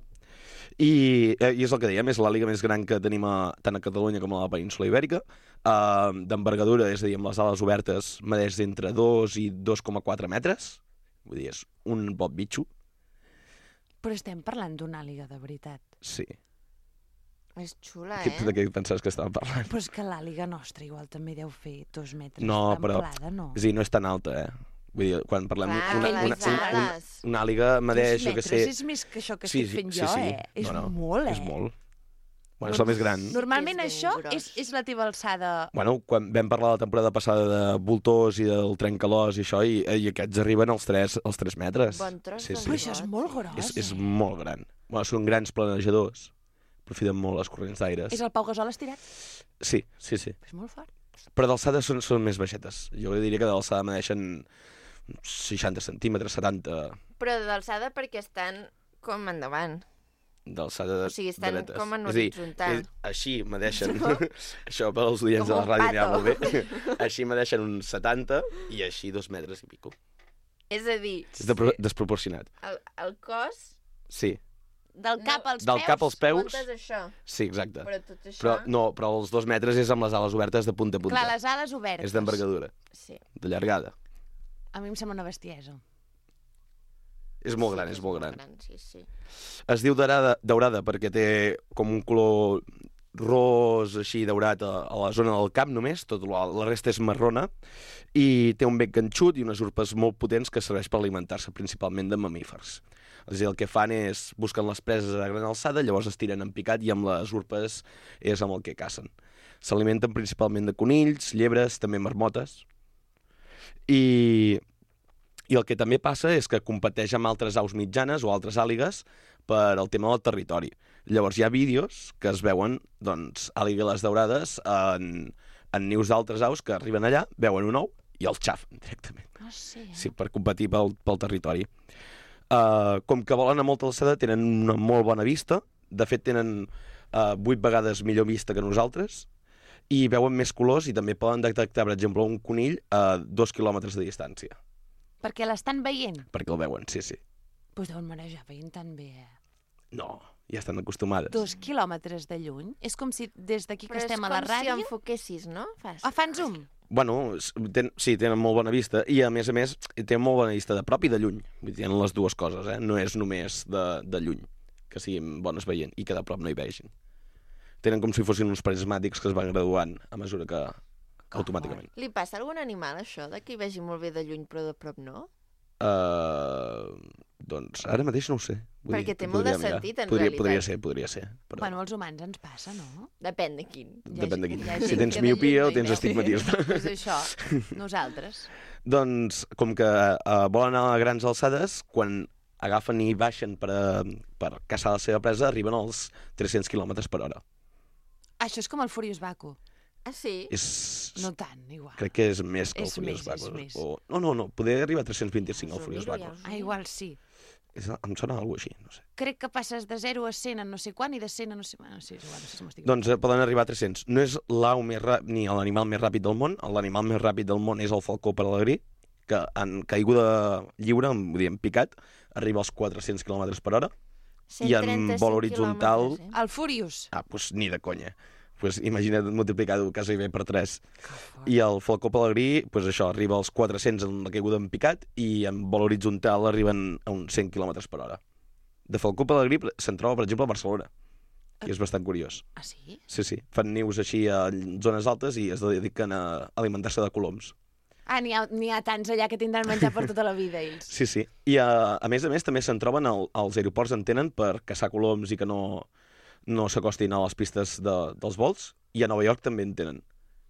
I és el que dèiem, és l'àliga més gran que tenim tant a Catalunya com a la península Ibèrica. D'envergadura, és a dir, amb les ales obertes, medeix entre 2 i 2,4 metres. Vull dir, és un bon bitxo.
Però estem parlant d'una àliga de veritat.
Sí.
És xula,
De què pensaves que estàvem parlant?
Però és que l'àliga nostra igual també deu fer 2 metres
No, però
d'amplada, no?
és a dir, no és tan alta, Vull dir, quan parlem...
Clar,
una àliga medeix, jo què sé...
2 metres és més que això que estic fent jo, És molt,
És molt. Bueno, és la més gran.
Normalment això és la teva alçada...
Bueno, quan vam parlar la temporada passada de voltors i del trencalòs i això, i aquests arriben als 3 metres.
Bon tros
sí.
Però això és molt gros,
És molt gran. Bueno, són grans planejadors. Aprofiten molt les corrents d'aires.
És el Pau Gasol estirat?
Sí.
És molt fort.
Però d'alçada són més baixetes. Jo diria que d'alçada medeixen 60 centímetres, 70...
Però d'alçada perquè estan com endavant.
D'alçada
O sigui, estan
dretes.
com en horitzontal.
Així medeixen... Això per als oients de la ràdio anirà molt bé. Així medeixen uns 70 i així 2 metres i pico.
És a dir...
És desproporcionat.
El cos...
Sí.
Del cap als peus?
Del cap als peus...
Comptes això.
Sí, exacte.
Però tot això...
Però els 2 metres és amb les ales obertes de punta a punta.
Clar, les ales obertes.
És d'envergadura.
Sí.
De llargada.
A mi em sembla una bestiesa.
És molt gran, és molt gran.
Sí.
Es diu daurada perquè té com un color ros així daurat a la zona del cap només, tot la resta és marrona, i té un bec ganxut i unes urpes molt potents que serveix per alimentar-se principalment de mamífers. És a dir, el que fan és busquen les preses a gran alçada, llavors es tiren en picat i amb les urpes és amb el que cacen. S'alimenten principalment de conills, llebres, també marmotes, i el que també passa és que competeix amb altres aus mitjanes o altres àligues per al tema del territori. Llavors hi ha vídeos que es veuen, doncs, àligues daurades en nius d'altres aus que arriben allà, veuen un ou i el xafen directament. Sí, per competir pel territori. Com que volen a molta alçada, tenen una molt bona vista. De fet, tenen 8 vegades millor vista que nosaltres i veuen més colors i també poden detectar, per exemple, un conill a 2 quilòmetres de distància.
Perquè l'estan veient?
Perquè el veuen, sí.
Doncs deuen manejar veient tan bé,
No, ja estan acostumades.
2 quilòmetres de lluny? És com si des d'aquí que estem a la ràdio...
Però és com si enfoquessis, no?
Fan zoom?
Bueno, sí, tenen molt bona vista i, a més, tenen molt bona vista de prop i de lluny. Vull dir, tenen les dues coses, No és només de lluny, que siguin bones veient i que de prop no hi vegin. Tenen com si fossin uns prismàtics que es van graduant a mesura que automàticament.
Li passa a algun animal, això, de que hi vegi molt bé de lluny però de prop no?
Doncs ara mateix no ho sé.
Perquè té molt de sentit, en realitat.
Podria ser. Però...
Bueno, als humans ens passa, no?
Depèn de quin.
Depèn de quin. Si tens miopia o tens astigmatisme.
És això, nosaltres.
Doncs, com que volen anar a grans alçades, quan agafen i baixen per caçar la seva presa, arriben als 300 km per hora.
Això és com el Furious Baku.
Ah, sí?
No tant, igual.
Crec que és més que el Furious Baku.
És més.
No, poder arribar a 325 el Furious Baku.
Igual sí.
Em sona alguna cosa així, no sé.
Crec que passes de 0 a 100 en no sé quan i de 100 a no sé... Bueno, sí, igual, no sé si m'estic...
Doncs poden arribar a 300. No és l'au més ràpid ni l'animal més ràpid del món. L'animal més ràpid del món és el falcó pelegrí, que en caiguda lliure, vull dir, en picat, arriba als 400 km per hora. I en vol horitzontal...
El Furious.
Doncs ni de conya. Imagina't multiplicar-ho quasi bé per 3. I el falcó pelegrí, això, arriba als 400 en la caiguda en picat i en vol horitzontal arriben a uns 100 km per hora. De falcó pelegrí se'n troba, per exemple, a Barcelona, que és bastant curiós.
Ah, sí?
Sí. Fan nius així a zones altes i es dediquen a alimentar-se de coloms.
Ah, n'hi ha tants allà que tindran menjar per tota la vida, ells.
Sí. I a més també se'n troben als aeroports en tenen per caçar coloms i que no s'acostin a les pistes dels vols, i a Nova York també en tenen.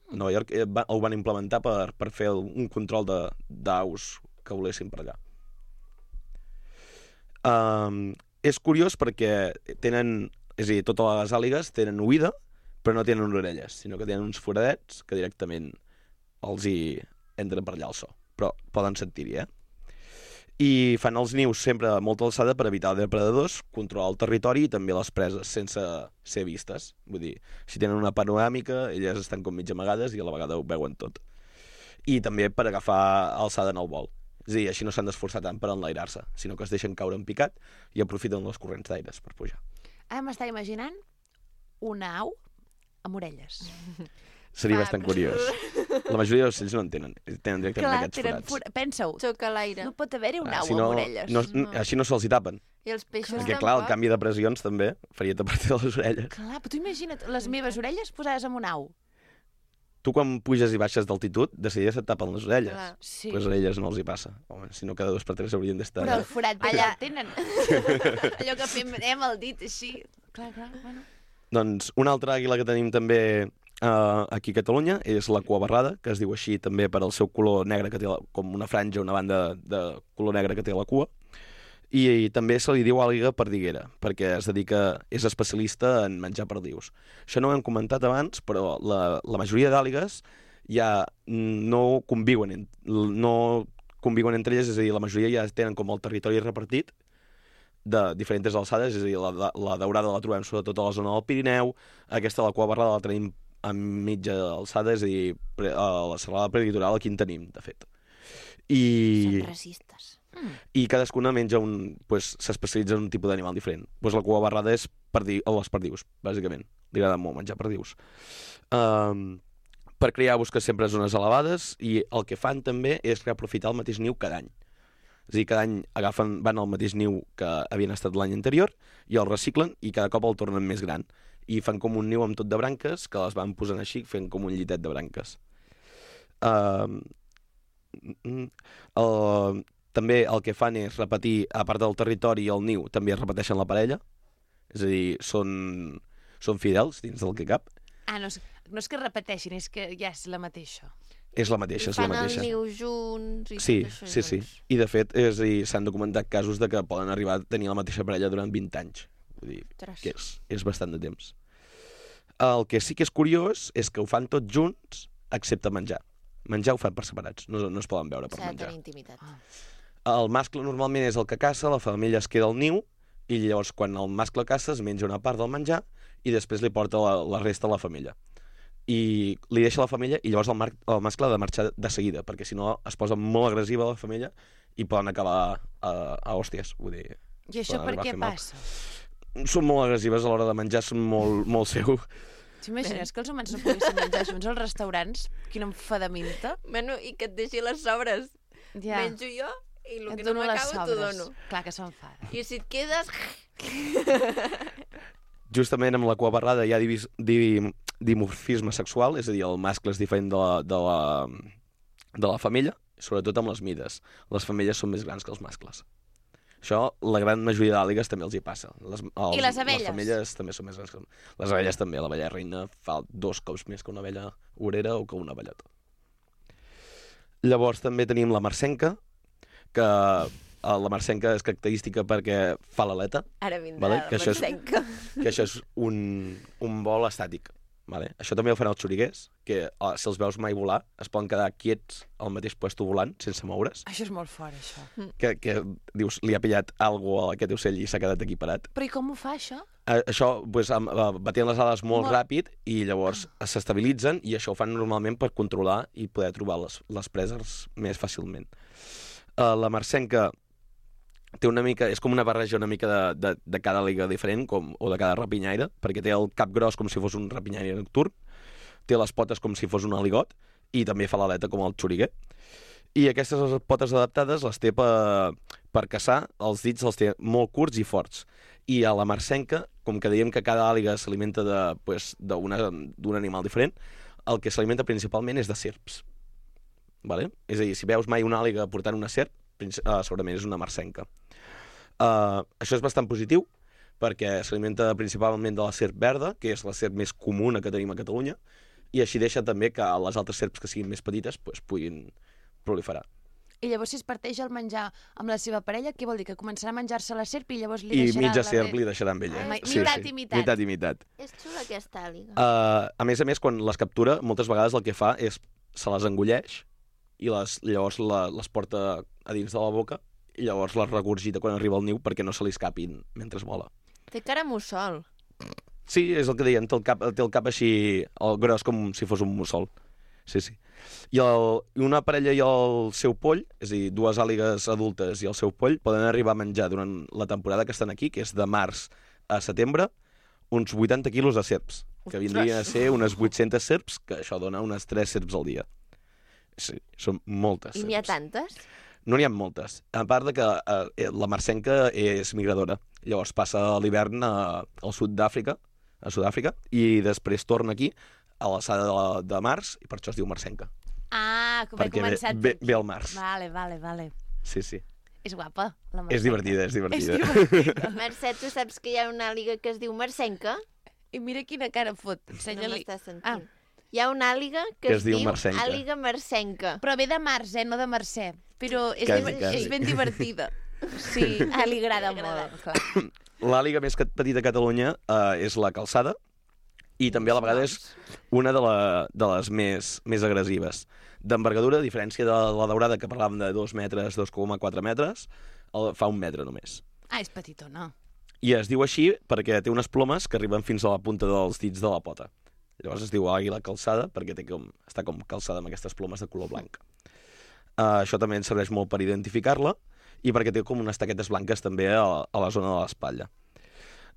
A Nova York ho van implementar per fer un control d'aus que volessin per allà. És curiós perquè tenen És a dir, totes les àligues tenen oïda, però no tenen orelles, sinó que tenen uns foradets que directament els hi entren per allà el so. Però poden sentir-hi, I fan els nius sempre a molta alçada per evitar depredadors, controlar el territori i també les preses sense ser vistes. Vull dir, si tenen una panoràmica, elles estan com mig amagades i a la vegada ho veuen tot. I també per agafar alçada en el vol. És a dir, així no s'han d'esforçar tant per enlairar-se, sinó que es deixen caure en picat i aprofiten les corrents d'aires per pujar.
Ara m'estava imaginant una au amb orelles.
Seria bastant curiós. La majoria dels ocells no en tenen. Tenen directament aquests forats.
Pensa-ho.
Xoca a l'aire.
No pot haver-hi una au
Si no,
amb orelles.
Així no se'ls hi tapen.
I els peixos
Perquè, clar, el canvi de pressions també faria tapar-te les orelles.
Clar, però tu imagina't les meves orelles posades amb una au.
Tu, quan puges i baixes d'altitud, de seguida se't tapen les orelles.
Sí.
Pues a elles no els hi passa. Home, si no, cada 2 per 3 haurien d'estar...
Però el forat
allà
tenen. Allò que fem el dit així. Clar, bueno.
Doncs una altra àguila que tenim també aquí a Catalunya és la cuabarrada, que es diu així també per al seu color negre, que té com una franja, una banda de color negre que té la cua. I també se li diu àliga perdiguera, perquè es dedica, és especialista en menjar perdius. Això no ho hem comentat abans, però la majoria d'àligues ja no conviuen entre elles, és a dir, la majoria ja tenen com el territori repartit de diferents alçades, és a dir, la daurada la trobem sobretot a la zona del Pirineu, aquesta la cuabarrada la tenim a mitja alçada, és a dir, a la serralada preditoral aquí en tenim, de fet.
Són racistes.
I cadascuna menja s'especialitza en un tipus d'animal diferent. La cuabarrada és les perdius, bàsicament. Li agrada molt menjar perdius. Per criar busca sempre zones elevades i el que fan també és reaprofitar el mateix niu cada any. És a dir, cada any van al mateix niu que havien estat l'any anterior i el reciclen i cada cop el tornen més gran. I fan com un niu amb tot de branques que les van posant així, fent com un llitet de branques. També el que fan és repetir, a part del territori i el niu, també es repeteixen la parella. És a dir, són fidels dins del que cap.
No és que repeteixin, és que ja és la mateixa.
És la mateixa, és la mateixa.
Fan el niu junts i
sí,
tot això.
Sí. I de fet, s'han documentat casos de que poden arribar a tenir la mateixa parella durant 20 anys. Vull dir, que és bastant de temps. El que sí que és curiós és que ho fan tots junts, excepte menjar. Menjar ho fan per separats, no es poden veure per menjar.
S'ha de tenir intimitat.
El mascle normalment és el que caça, la femella es queda al niu, i llavors quan el mascle caça es menja una part del menjar i després li porta la resta a la femella. I li deixa la femella i llavors el mascle ha de marxar de seguida, perquè si no es posa molt agressiva la femella i poden acabar a hòsties. Vull dir,
I això per què passa?
Són molt agressives a l'hora de menjar, són molt seu.
T'imagines que els humans no poguessin menjar junts als restaurants? Quina enfadaminta.
Bueno, i que et deixi les sobres.
Ja.
Menjo jo i el que
Et
no
dono les
m'acabo t'ho
sobres.
dono.
Clar que s'enfada.
I si et quedes...
Justament amb la cuabarrada hi ha dimorfisme sexual, és a dir, el mascle és diferent de la femella, sobretot amb les mides. Les femelles són més grans que els mascles. Això, la gran majoria d'àligues també els hi passa.
I les abelles?
Les femelles també són més grans que les abelles també. L'abella reina fa 2 cops més que una abella obrera o que una abellota. Llavors també tenim la marcenca, que la marcenca és característica perquè fa l'aleta.
Ara vindrà la marcenca.
Que això és un vol estàtic. Vale? Això també ho fan els xoriguers, que si els veus mai volar, es poden quedar quiets al mateix puesto volant, sense moure's.
Això és molt fort, això.
Que dius, li ha pillat alguna cosa a aquest ocell i s'ha quedat aquí parat.
Però i com ho fa, això?
Això, batien les ales molt ràpid i llavors s'estabilitzen i això ho fan normalment per controlar i poder trobar les preses més fàcilment. La marcenca té una mica, és com una barreja una mica de cada àliga diferent o de cada rapinyaire, perquè té el cap gros com si fos un rapinyaire nocturn, té les potes com si fos un aligot i també fa l'aleta com el xoriguer. I aquestes potes adaptades les té per caçar, els dits els té molt curts i forts. I a la marcenca, com que dèiem que cada àliga s'alimenta d'un animal diferent, el que s'alimenta principalment és de serps. Vale? És a dir, si veus mai una àliga portant una serp, segurament és una marcenca. Això és bastant positiu perquè s'alimenta principalment de la serp verda, que és la serp més comuna que tenim a Catalunya, i així deixa també que les altres serps que siguin més petites puguin proliferar.
I llavors si es parteix el menjar amb la seva parella, què vol dir? Que començarà a menjar-se la serp i llavors li
I
deixarà
mitja
la
serp li deixarà amb ella.
Mitat i mitat.
Mitat i mitat.
És xula aquesta àliga.
A més, quan les captura, moltes vegades el que fa és se les engolleix i llavors les porta a dins de la boca i llavors les regurgita quan arriba al niu perquè no se li escapin mentre vola.
Té cara mussol.
Sí, és el que deien, té el cap així, el gros com si fos un mussol. Sí. I una parella i el seu poll, és a dir, dues àligues adultes i el seu poll, poden arribar a menjar durant la temporada que estan aquí, que és de març a setembre, uns 80 quilos de serps, que vindrien a ser unes 800 serps, que això dona unes 3 serps al dia. Sí, són moltes serps.
I n'hi ha tantes?
No n'hi ha moltes. A part de que la marcenca és migradora. Llavors passa l'hivern al sud d'Àfrica, a Sud-àfrica, i després torna aquí a l'alçada de març, i per això es diu marcenca.
Ah, com he
Perquè
començat...
ve al març.
Vale.
Sí.
És guapa, la marcenca.
És divertida.
Mercè, tu saps que hi ha una àliga que es diu marcenca?
I mira quina cara fot, ensenya-li.
No m'estàs sentint. Hi ha una àliga que es diu
marcenca.
àliga marcenca.
Però ve de març, no de Mercè. Però
Quasi.
és ben divertida. Sí, li agrada molt, clar.
L'àliga més petita a Catalunya és la calçada, i també a la vegada és una de les més agressives. D'envergadura, a diferència de la daurada, que parlàvem de 2 metres, 2,4 metres, fa 1 metre només.
Ah, és petitona.
I es diu així perquè té unes plomes que arriben fins a la punta dels dits de la pota. Llavors es diu àguila calçada perquè està com calçada amb aquestes plomes de color blanc. Això també ens serveix molt per identificar-la i perquè té com unes taquetes blanques també a la zona de l'espatlla.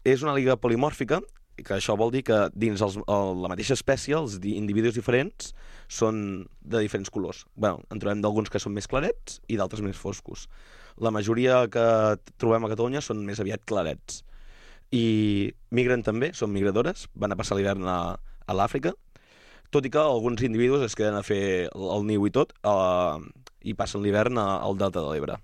És una àliga polimòrfica, que això vol dir que dins la mateixa espècie els individus diferents són de diferents colors. En trobem d'alguns que són més clarets i d'altres més foscos. La majoria que trobem a Catalunya són més aviat clarets. I migren també, són migradores, van a passar l'hivern a l'Àfrica, tot i que alguns individus es queden a fer el niu i tot i passen l'hivern al Delta de l'Ebre.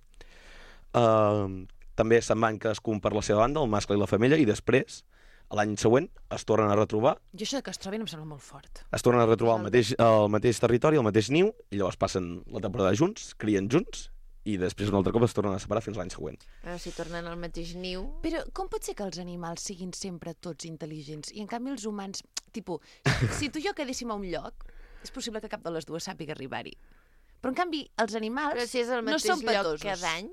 També se'n van cadascun per la seva banda, el mascle i la femella, i després l'any següent es tornen a retrobar.
Jo això que es trobin em sembla molt fort.
Es tornen a retrobar al mateix territori, al mateix niu, i llavors passen la temporada junts, crien junts, i després un altre cop es tornen a separar fins l'any següent.
Si tornen al mateix niu...
Però com pot ser que els animals siguin sempre tots intel·ligents i en canvi els humans, si tu i jo quedéssim a un lloc, és possible que cap de les dues sàpiga arribar-hi. Però en canvi els animals
no són petosos. Però si és el mateix lloc cada any...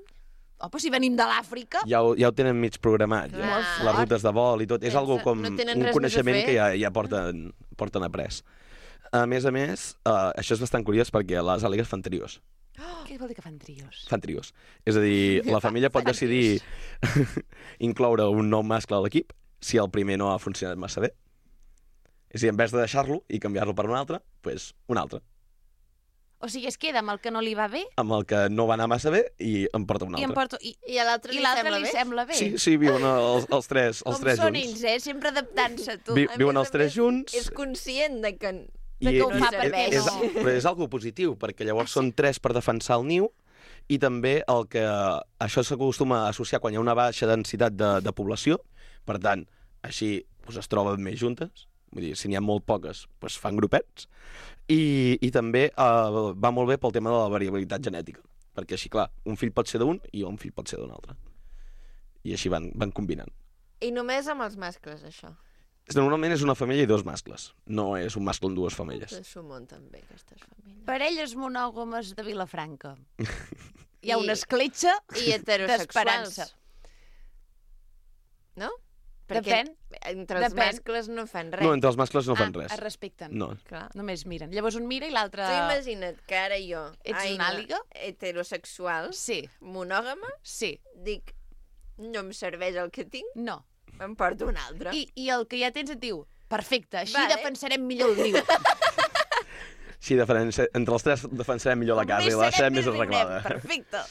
Oh, però si venim de l'Àfrica...
Ja ho tenen mig programat, ja. Les rutes de vol i tot. És algo com un coneixement que ja porten après. A més, això és bastant curiós perquè les àligues fan trios.
Què vol dir que fan trios?
Fan trios. És a dir, la família pot decidir incloure un nou mascle a l'equip si el primer no ha funcionat massa bé. És a dir, en vez de deixar-lo i canviar-lo per un altre, doncs un altre.
O sigui, es queda amb el que no li va bé?
Amb el que no va anar massa bé i en porta un altre.
I a l'altre li
sembla bé?
Sí, viuen els tres junts.
Com són ells, sempre adaptant-se a tu.
Viuen els tres junts.
És conscient de que
ho fa per bé.
Però és algo positiu, perquè llavors són 3 per defensar el niu i també això s'acostuma a associar quan hi ha una baixa densitat de població. Per tant, així es troben més juntes. Vull dir, si n'hi ha molt poques, fan grupets. I també va molt bé pel tema de la variabilitat genètica, perquè així, clar, un fill pot ser d'un i un fill pot ser d'un altre. I així van combinant.
I només amb els mascles, això?
Normalment és una femella i 2 mascles, no és un mascle amb 2 femelles.
S'ho munten bé, aquestes famílies.
Parelles monògames de Vilafranca. Hi ha una escletxa d'esperança.
No?
Depèn.
Entre els mascles no fan res.
No, entre els mascles no fan res.
Es respecten.
No.
Clar. Només miren. Llavors un mira i l'altre...
Tu imagina't que ara jo,
ets una àliga
heterosexual, monògama, dic, no em serveix el que tinc,
no,
em porto un altre.
I el que ja tens et diu, perfecte, així defensarem millor el niu.
Sí, entre els 3 defensarem millor la casa i la deixarem més arreglada.
Perfecte.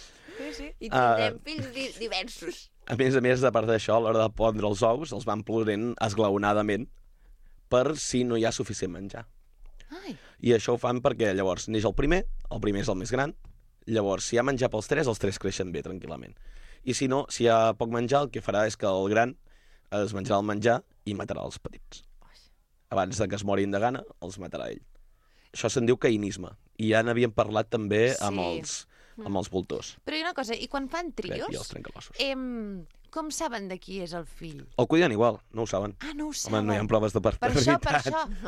Sí. I tindrem fills diversos.
A més, a part d'això, a l'hora de pondre els ous, els van plorent esglaonadament per si no hi ha suficient menjar. I això ho fan perquè llavors neix el primer és el més gran, llavors si hi ha menjar pels 3, els 3 creixen bé, tranquil·lament. I si no, si hi ha poc menjar, el que farà és que el gran es menjarà el menjar i matarà els petits. Abans de que es morin de gana, els matarà ell. Això se'n diu caïnisme. I ja n'havíem parlat també amb amb els voltors.
Però hi ha una cosa, i quan fan
I els
trios,
trencalossos.
com saben de qui és el fill?
El cuiden igual, no ho saben.
Ah, no ho
Home,
saben.
no hi ha proves de
Per això.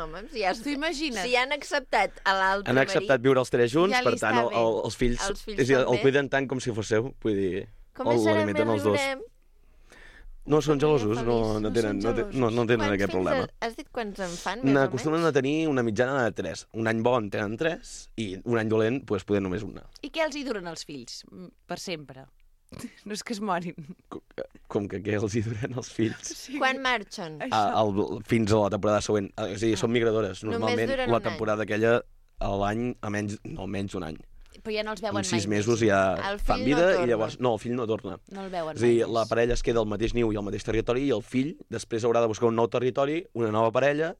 Home, si ja
T'ho imagines?
Si han acceptat a l'altre
Han acceptat viure els tres junts,
Ja li
per tant,
està bé.
els fills,
Els fills
és a dir,
també.
el cuiden tant com si fos seu, vull dir,
Com més serà,
l'alimenten
més
els dos.
riurem.
No, són gelosos,
feliç.
no tenen
Quants
aquest
fills
problema.
Has dit quants en fan, més o
N'acostumen
menys?
a tenir una mitjana de 3. Un any bo en tenen 3 i un any dolent doncs, poden només una.
I què els hi duren els fills? Per sempre. No és que es morin.
Com que què els hi duren els fills?
Quan marxen?
Fins a la temporada següent. És a dir, són migradores.
Només
Normalment
duren
la
un any.
temporada aquella a l'any, almenys un any.
Però ja no els veuen
En 6
mai.
mesos ja
El
fan
fill
vida
no
i
torna.
llavors... No, el fill no torna.
No el veuen
És a dir,
mai
la
més.
parella es queda al mateix niu i al mateix territori i el fill després haurà de buscar un nou territori, una nova parella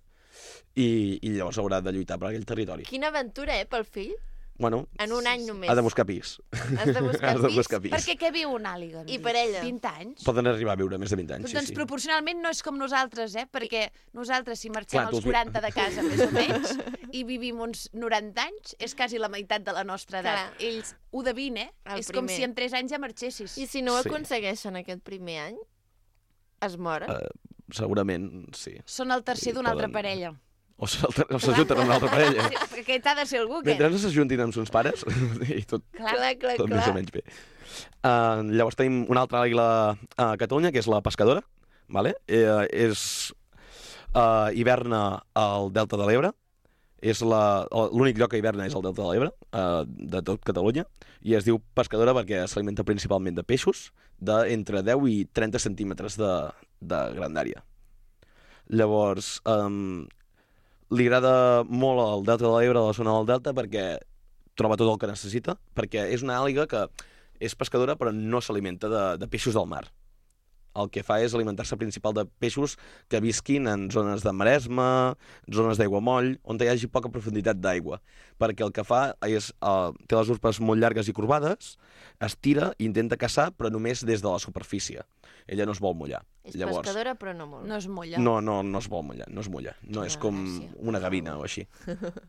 i llavors haurà de lluitar per aquell territori.
Quina aventura, pel fill?
Bueno,
En un any només.
ha de buscar pis.
Has de buscar
Has de
pis?
buscar pis.
Perquè què viu un àliga?
I per ella?
20 anys?
Poden arribar a viure més de 20 anys,
Doncs
sí.
proporcionalment no és com nosaltres, perquè nosaltres, si marxem
Clar,
als 40 de casa, més o menys, i vivim uns 90 anys, és quasi la meitat de la nostra edat.
Clar.
Ells ho de 20,
El
És com
primer.
si en 3 anys ja marxessis.
I si no ho
Sí.
aconsegueixen aquest primer any, es moren?
Segurament, sí.
Són el tercer d'una altra
poden-
parella.
O s'ajunten amb una altra parella.
Sí, perquè aquest ha de ser algú, que...
Mentre no s'ajuntin amb sons pares, i tot tot més o menys bé. Llavors tenim una altra àguila a Catalunya, que és la pescadora. Vale? Hiverna al Delta de l'Ebre. És l'únic lloc que hiverna és el Delta de l'Ebre, de tot Catalunya, i es diu pescadora perquè s'alimenta principalment de peixos d'entre 10 i 30 centímetres de grandària. Llavors, li agrada molt el Delta de l'Ebre, la zona del Delta, perquè troba tot el que necessita, perquè és una àliga que és pescadora però no s'alimenta de peixos del mar. El que fa és alimentar-se principal de peixos que visquin en zones de maresma, zones d'aiguamoll, on hi hagi poca profunditat d'aigua. Perquè el que fa és, té les urpes molt llargues i corbades, es tira i intenta caçar, però només des de la superfície. Ella no es vol mullar.
És pescadora, però no molt.
No es mulla.
No es vol mullar, no es mulla. No és com una gavina o així.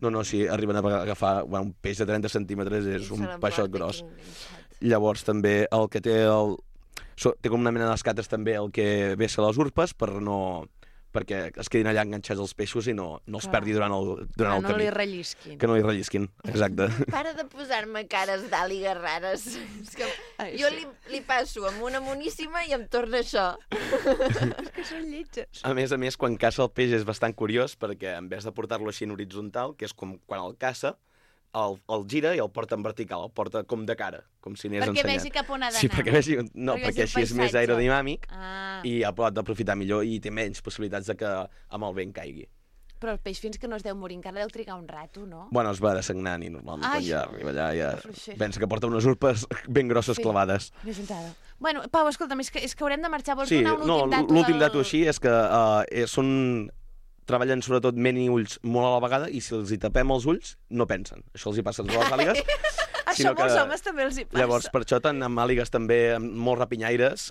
No, si arriben a agafar un peix de 30 centímetres és un peixot gros. Llavors també el que té té com una mena d'escates també el que vessa les urpes perquè es quedin allà enganxats els peixos i no els perdi durant el camí.
No li rellisquin.
Que no li rellisquin, exacte.
Para de posar-me cares d'àligues rares. És que jo li passo amb una moníssima i em torna això.
És que són lletges.
A més, quan caça el peix és bastant curiós perquè en vez de portar-lo així en horitzontal, que és com quan el caça, el gira i el porta en vertical, el porta com de cara, com si anés
perquè
ensenyant.
vegi cap on ha d'anar.
Sí, perquè així és més aerodinàmic i el pot aprofitar millor i té menys possibilitats de que amb el vent caigui.
Però el peix fins que no es deu morir encara deu trigar un rato, no?
Bueno, es va dessagnant i normalment quan ja arriba allà ja
fluixer.
pensa que porta unes urpes ben grosses clavades.
Més entrada. Bueno, Pau, escolta'm, és que haurem de marxar. Vols
Sí,
donar un últim dato?
l'últim dato així és que treballen sobretot ment i ulls molt a la vegada i si els hi tapem els ulls no pensen. Això els hi passa a les àligues.
Això molts homes també els hi passa.
Llavors, per això, tant amb àligues també molt rapinyaires,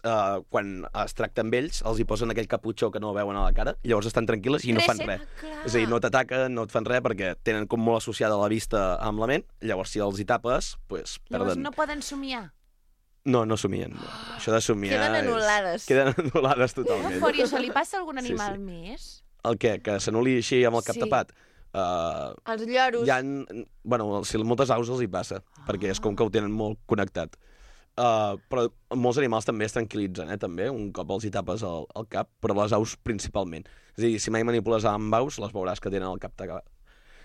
quan es tracta amb ells, els hi posen aquell caputxó que no veuen a la cara, llavors estan tranquil·les i no fan res. És a dir, no t'ataquen, no et fan res, perquè tenen com molt associada la vista amb la ment, llavors si els hi tapes, pues,
llavors
perden.
no poden somiar.
No somien. No. Això de somiar...
Queden anul·lades.
Queden anul·lades totalment.
I això li passa a algun animal més?
El què? Que s'anul·li així amb el cap tapat?
Els lloros.
Bueno, moltes aus els hi passa, perquè és com que ho tenen molt connectat. Però molts animals també es tranquil·litzen, també, un cop els hi tapes el cap, però les aus principalment. És a dir, si mai manipules amb aus, les veuràs que tenen el cap tapat.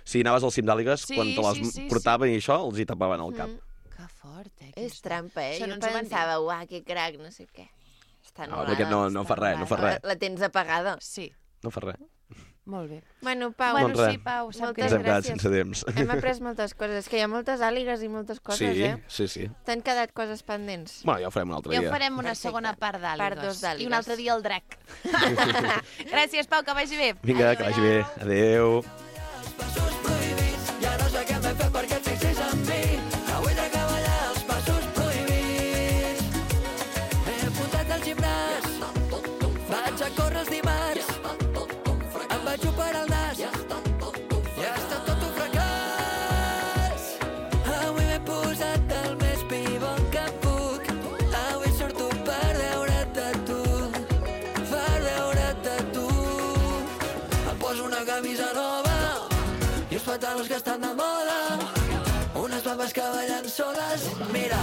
Si anaves al cim d'àligues, quan te les portaven i això, els hi tapaven el cap.
Que fort,
És trampa,
Això
Jo
no ens ho van
pensava, uah, que crac, no sé què. Està
No,
anul·lada.
perquè no fa res, no fa res.
La tens apagada.
Sí.
No fa res.
Molt bé.
Bueno, Pau,
Doncs res.
sí, Pau, sap
Moltes
que...
Ens hem quedat
gràcies.
sense temps.
hem après moltes coses. És que hi ha moltes àligues i moltes coses,
Sí.
T'han quedat coses pendents.
Bueno, ja ho farem un altre
Ja
dia.
ho farem una
Perfecte.
segona part d'àligues.
Part 2 d'àligues.
I un altre dia el drac. Gràcies, Pau, que vagi bé.
Vinga, que vagi bé. Adéu.
Passos prohibits, ja no sé què m'he fet perquè et fixis en mi. Avui trec a ballar els passos prohibits. He apuntat al gimnàs, vaig a córrer els dimarts. Em vaig operar el nas, i ha estat tot un fracàs. Avui m'he posat el més pit. que estan de moda, unes babes que ballen soles. Mira,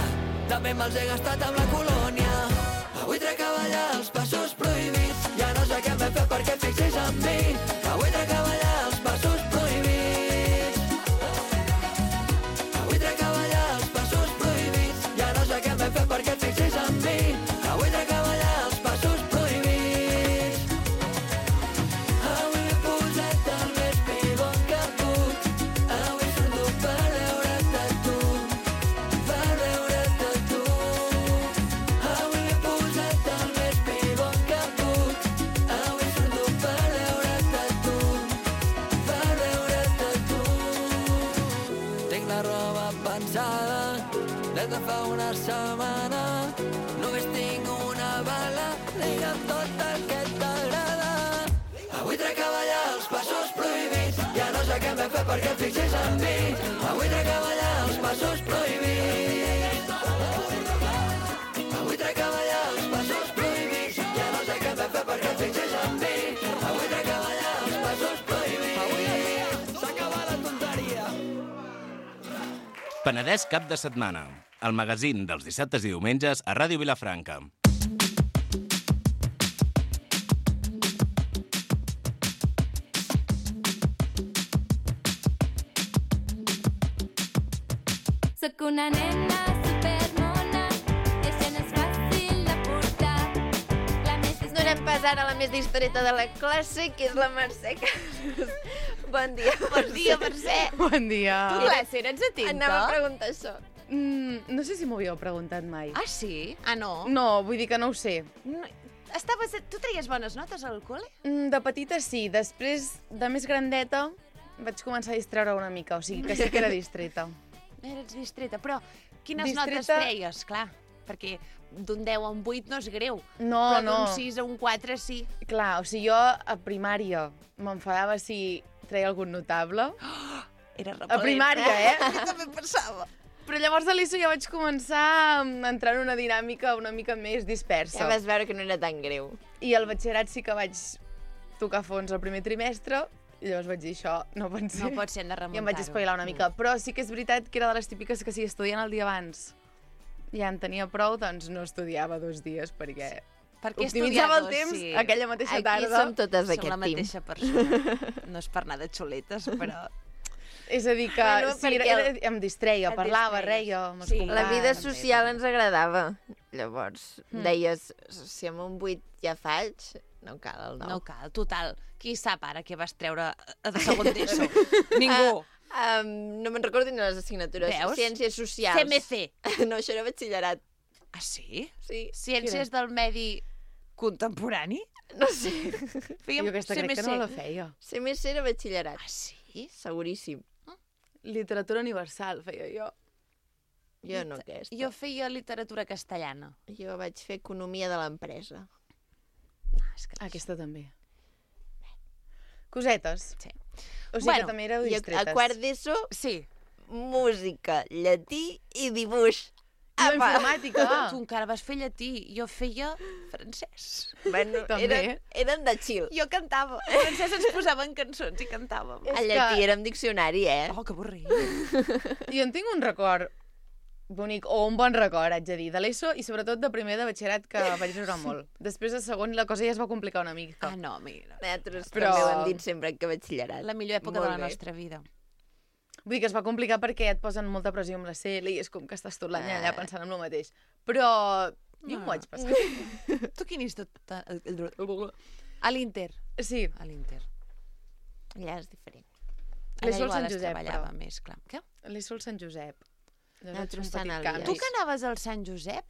també me'ls he gastat amb la colònia. Avui trec a ballar els passos prohibits. Ja no sé què m'he fet perquè fixis en mi. Avui trec a ballar els passos prohibits. Avui trec a ballar els passos prohibits. Ja no sé què m'he fet perquè fixis en mi. Avui trec a ballar els passos prohibits. Avui m'he posat el més pibon que puc. Avui surto per veure't a tu. Per veure't a tu. Avui m'he posat el més pibon que puc. Avui surto per veure't a tu. Per veure't a tu. Tinc la roba pensada des de fa una setmana. Només tinc una bala, digue'm tot el que t'agrada. Avui trec a ballar els passos prohibits. Ja no sé què m'he fet perquè et fixis en mi. Avui trec a ballar els passos prohibits. Avui trec a ballar els passos prohibits. Ja no sé què m'he fet perquè et fixis en mi. Avui trec a ballar els passos prohibits. S'acaba la tonteria.
Penedès cap de setmana. El magazín dels dissabtes i diumenges a Ràdio Vilafranca.
Soc una nena supermona, i això no és fàcil de portar.
Donem pas ara a la més distreta de la classe, que és la Mercè Casas. Bon dia,
Bon dia, Mercè.
Bon dia.
Tu, classe, eres atenta?
Anava a preguntar això.
No sé si m'ho havíeu preguntat mai.
Ah, sí? Ah, no?
No, vull dir que no ho sé.
No, tu traies bones notes al col·le?
De petita sí, després de més grandeta vaig començar a distreure una mica, o sigui que sí que era distreta.
Eres distreta, però quines
Distreta-
notes treies? Clar, perquè d'un 10 a un 8 no és greu.
No,
però
no.
d'un 6 a un 4 sí.
Clar, o sigui, jo a primària m'enfadava si treia algun notable.
Era repel·lent.
A primària, eh?
Jo també pensava.
Però llavors a l'ESO ja vaig començar a entrar en una dinàmica una mica més dispersa.
Ja vas veure que no era tan greu.
I al batxillerat sí que vaig tocar fons al primer trimestre, i llavors vaig dir això, no pot ser.
No pot ser, hem de remuntar-ho.
I em vaig espavilar una mica. Però sí que és veritat que era de les típiques que si estudiant el dia abans ja en tenia prou, doncs no estudiava 2 dies perquè
Perquè
optimitzava el temps aquella mateixa tarda.
Aquí som totes
Som
d'aquest
la
team.
mateixa persona. No és per anar de xuletes, però...
És a dir que
Bueno,
sí,
perquè
em distreia,
Et
parlava,
distreies.
reia amb els
Sí.
companys.
La vida social ens agradava. Llavors, deies, si amb un 8 ja faig, no cal el 9.
No cal, total. Qui sap ara què vas treure de segon d'ESO? Ningú.
No me'n recordo ni les assignatures.
Veus?
Ciències socials.
CMC.
No, això era batxillerat.
Ah, sí?
Sí.
Ciències del medi contemporani?
No sé.
Fèiem
Jo aquesta crec que no la feia.
CMC era batxillerat.
Ah, sí?
Seguríssim.
Literatura universal feia jo.
Jo no aquesta.
Jo feia literatura castellana.
Jo vaig fer economia de l'empresa.
Aquesta també. Cosetes.
Sí.
O sigui que també éreu
I
distretes.
a quart d'ESO,
Sí.
música, llatí i dibuix.
Jo informàtica.
Tu encara vas fer llatí. Jo feia francès.
Bueno,
També.
eren de chill.
Jo cantava. En francès ens posaven cançons i cantàvem.
A llatí érem diccionari, eh?
Oh, que avorrit.
Jo en tinc un record bonic, o un bon record, haig de dir, de l'ESO i sobretot de primer de batxillerat, que vaig riure molt. Després de segon la cosa ja es va complicar una mica.
Ah, no, mira.
Nosaltres
Però-
també ho hem dit sempre que batxillerat.
La millor època
Molt
de la
bé.
nostra vida.
Vull dir que es va complicar perquè et posen molta pressió amb la CL i és com que estàs tot l'any allà pensant en el mateix. Però jo m'ho vaig passar.
Tu quin institut? A l'Inter.
Sí,
A l'Inter.
Allà és diferent.
l'ESO al
igual
Sant
es
Josep,
treballava
però.
més, clar. Què?
l'ESO al Sant Josep. Llavors
Nosaltres
vaig fer un
Sant
petit
Elies.
canvi.
Tu que anaves al Sant Josep?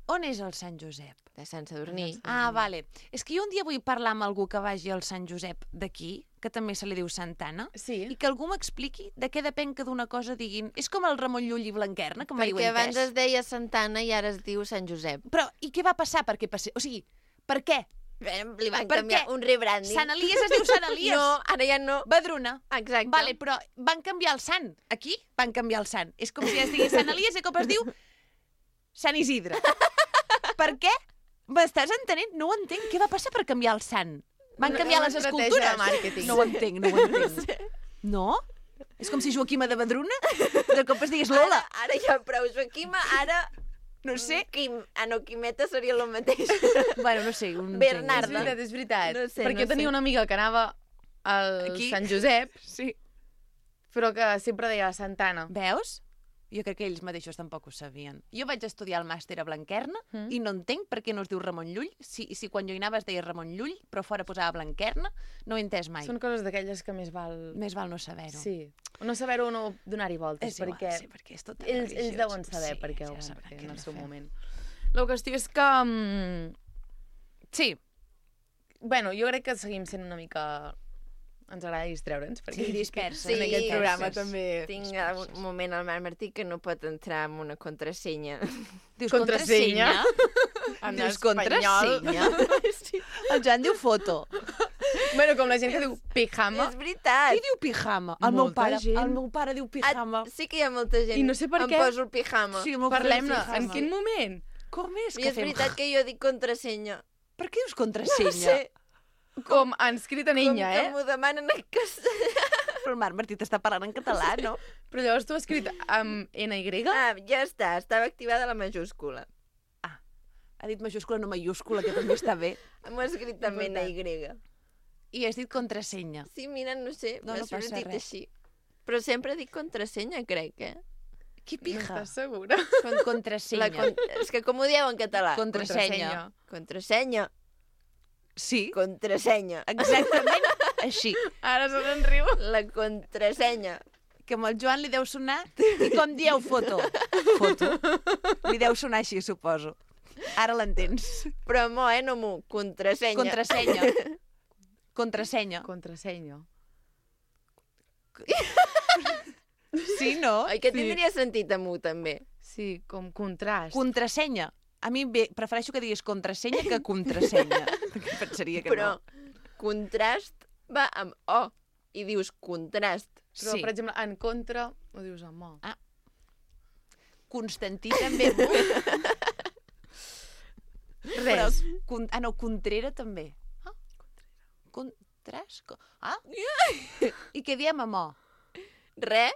On és el Sant Josep?
De Sant Sadurní.
Ah, vale. És que jo un dia vull parlar amb algú que vagi al Sant Josep d'aquí, que també se li diu Santana,
Sí.
i que algú m'expliqui de què depèn que d'una cosa diguin... És com el Ramon Llull i Blanquerna, que mai ho he
Perquè abans
entès.
es deia Santana i ara es diu Sant Josep.
Però, i què va passar perquè passés? O sigui, per què?
Li van
Per
canviar
què?
un rebranding.
Sant Elies es diu Sant Elies.
No, ara ja no.
Badruna.
Exacte.
Vale, però van canviar el sant. Aquí van canviar el sant. És com si es digués Sant Elies i cop es diu Sant Isidre. Per què? M'estàs entenent? No ho entenc. Què va passar per canviar el sant? Van canviar les
Una estratègia
escultures.
de màrqueting.
No ho entenc, no ho entenc. No? És com si Joaquima de Badruna de cop es digués Lola.
Ara ja prou Joaquima, ara...
No sé.
Quimeta seria el mateix.
Bueno, no sé.
Bernarda.
És veritat.
No sé,
Perquè jo tenia una amiga que anava al Sant Josep, però que sempre deia Santana.
Veus? Jo crec que ells mateixos tampoc ho sabien. Jo vaig estudiar el màster a Blanquerna i no entenc per què no es diu Ramon Llull. Si quan jo hi anava es deia Ramon Llull, però fora posava Blanquerna, no ho he entès mai.
Són coses d'aquelles que més val...
Més val no saber-ho.
Sí. No saber-ho o no donar-hi voltes,
És igual,
perquè,
sí, perquè és tot
ells
religiós.
deuen saber per què ho
ja
van
sabran
fer
què
en el
han
seu
de fer.
moment. La qüestió és que...
Sí.
Bueno, jo crec que seguim sent una mica... Ens agrada distreure'ns, perquè
disperses.
en aquest programa també...
Tinc un moment al Marc Martí que no pot entrar amb una contrasenya.
Dius
contrasenya?
En
Dius
espanyol.
contrasenya?
Sí.
El Joan diu foto.
Bueno, com la gent que diu pijama.
És veritat.
Qui diu pijama? El meu pare diu pijama.
Sí que hi ha molta gent.
I no sé per què.
Em poso el pijama.
Sí,
parlem-ne. En quin moment?
Com és
I és veritat que jo dic contrasenya.
Per què dius contrasenya?
No sé.
Com han escrit en ella,
Com que m'ho demanen en castellà.
Però el Marc Martí t'està parlant en català, no?
Però llavors tu has escrit amb NY?
Ah, ja està. Estava activada la majúscula.
Ha dit majúscula, no mayúscula, que també està bé.
M'ho ha escrit també NY.
I has dit contrasenya.
Sí, mira, no sé,
No, no
m'ha
passa
sortit
res.
així. Però sempre dic contrasenya, crec,
Qui
No
pija?
estàs segura?
Contrasenya.
És que com ho dieu en català?
Contrasenya.
Contrasenya.
Sí.
Contrasenya.
Exactament així.
Ara se n'en riu.
La contrasenya.
Que amb el Joan li deu sonar... I com dieu foto? Foto. Li deu sonar així, suposo. Ara l'entens.
Però mo, no mo. Contrasenya.
Contrasenya. Contrasenya.
Contrasenya.
Sí, no?
Oi que tindria sentit a mu, també?
Sí, com contrast.
Contrasenya. A mi bé, prefereixo que diguis contrasenya que contrasenya. Perquè pensaria que
Però
no.
contrast va amb O. I dius contrast.
Però, per exemple, en contra ho dius amb O.
Ah. Constantí també.
Res.
No, Contrera també. Ah? Contrast? Ah? I què diem amb O?
Re.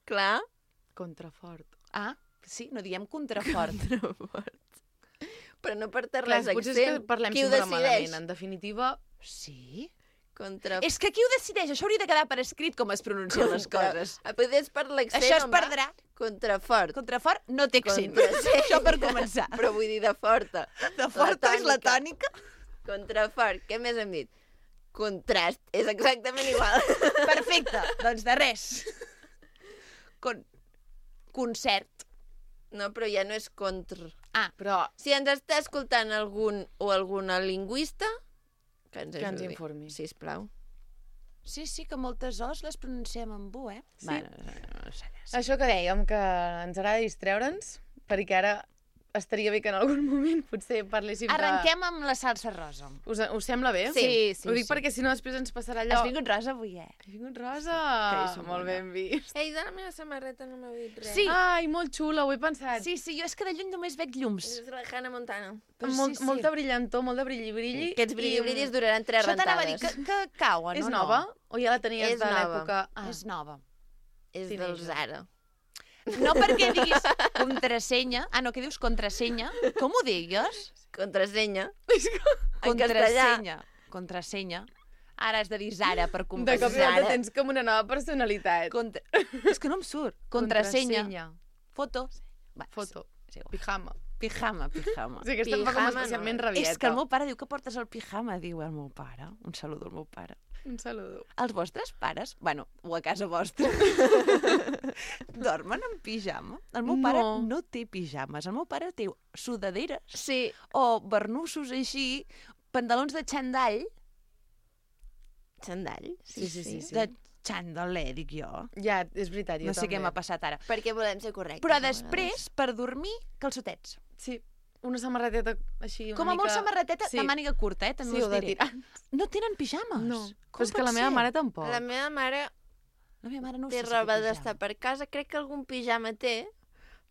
Clar.
Contrafort.
Ah, sí, no diem contrafort.
Però no per
Clar,
res
potser és
accent.
que parlem
Qui ho
sempre
decideix?
malament. En definitiva...
Sí? És que qui ho decideix? Això hauria de quedar per escrit com es pronuncien les coses.
Potser és per l'accent,
Això es
home.
perdrà.
Contrafort.
Contrafort no té accent.
Contrasenya.
Això per començar.
Però vull dir de forta.
De forta és la tònica.
Contrafort. Què més hem dit? Contrast. És exactament igual.
Perfecte. Doncs de res. Concert.
No, però ja no és contra.
Ah,
però...
Si ens està escoltant algun o alguna lingüista, que ens
Que ens
ajudi,
informi.
sisplau.
Sí, que moltes os les pronunciem amb U, eh?
Sí.
Bueno, no sé.
Això que dèiem, que ens agrada distreure'ns, perquè ara estaria bé que en algun moment potser parléssim
Arrenquem amb la salsa rosa.
Us sembla bé?
Sí.
Ho dic perquè si no després ens passarà allò...
Has vingut rosa avui, eh?
He vingut rosa!
Que és
Molt ben vist.
Ei, de la meva samarreta no m'heu dit res.
Sí.
Ai, molt xula, ho he pensat.
Sí, jo és que de lluny només veig llums.
És la Hannah Montana.
Molta brillantor, molt de brilli-brilli.
Aquests brilli-brillis duraran 3
Això
rentades.
t'anava a dir que cauen,
És
o no?
nova? O ja la tenies
És
de
nova.
l'època... Ah.
És nova.
És
Sí,
del
Neja.
Zara.
No perquè diguis contrasenya. Ah, no, què dius contrasenya? Com ho digues?
Contrasenya. En castellà.
Contrasenya. Contrasenya. Ara has de dir Zara per
De
compensar.
cop i volta tens com una nova personalitat.
És que no em surt. Contrasenya. Foto. Va,
Foto.
és igual.
Pijama.
Pijama.
O sigui, aquesta em fa com
Pijama,
especialment
no.
rabieta.
És que el meu pare diu que portes el pijama, diu el meu pare. Un saludo al meu pare.
Un saludo.
Els vostres pares, bueno, o a casa vostra, dormen en pijama? El meu pare no té pijames. El meu pare té sudaderes
Sí.
o barnussos així, pantalons de xandall,
Xandall?
Sí.
de xandalé, dic jo.
Ja, és veritat, jo
No sé
també.
què m'ha passat ara.
Perquè volem ser correctes.
Però
a vegades.
després, per dormir, calçotets.
Sí, una samarreteta així una
Com a
mica...
molt samarreteta
Sí.
de màniga curta, també
Sí,
us
o de
diré.
tirant.
No tenen pijames.
No,
Com
però és que la
pot
meva
ser?
mare tampoc.
La meva mare
La meva mare no
té
sé si
roba
té
d'estar
pijama.
per casa. Crec que algun pijama té,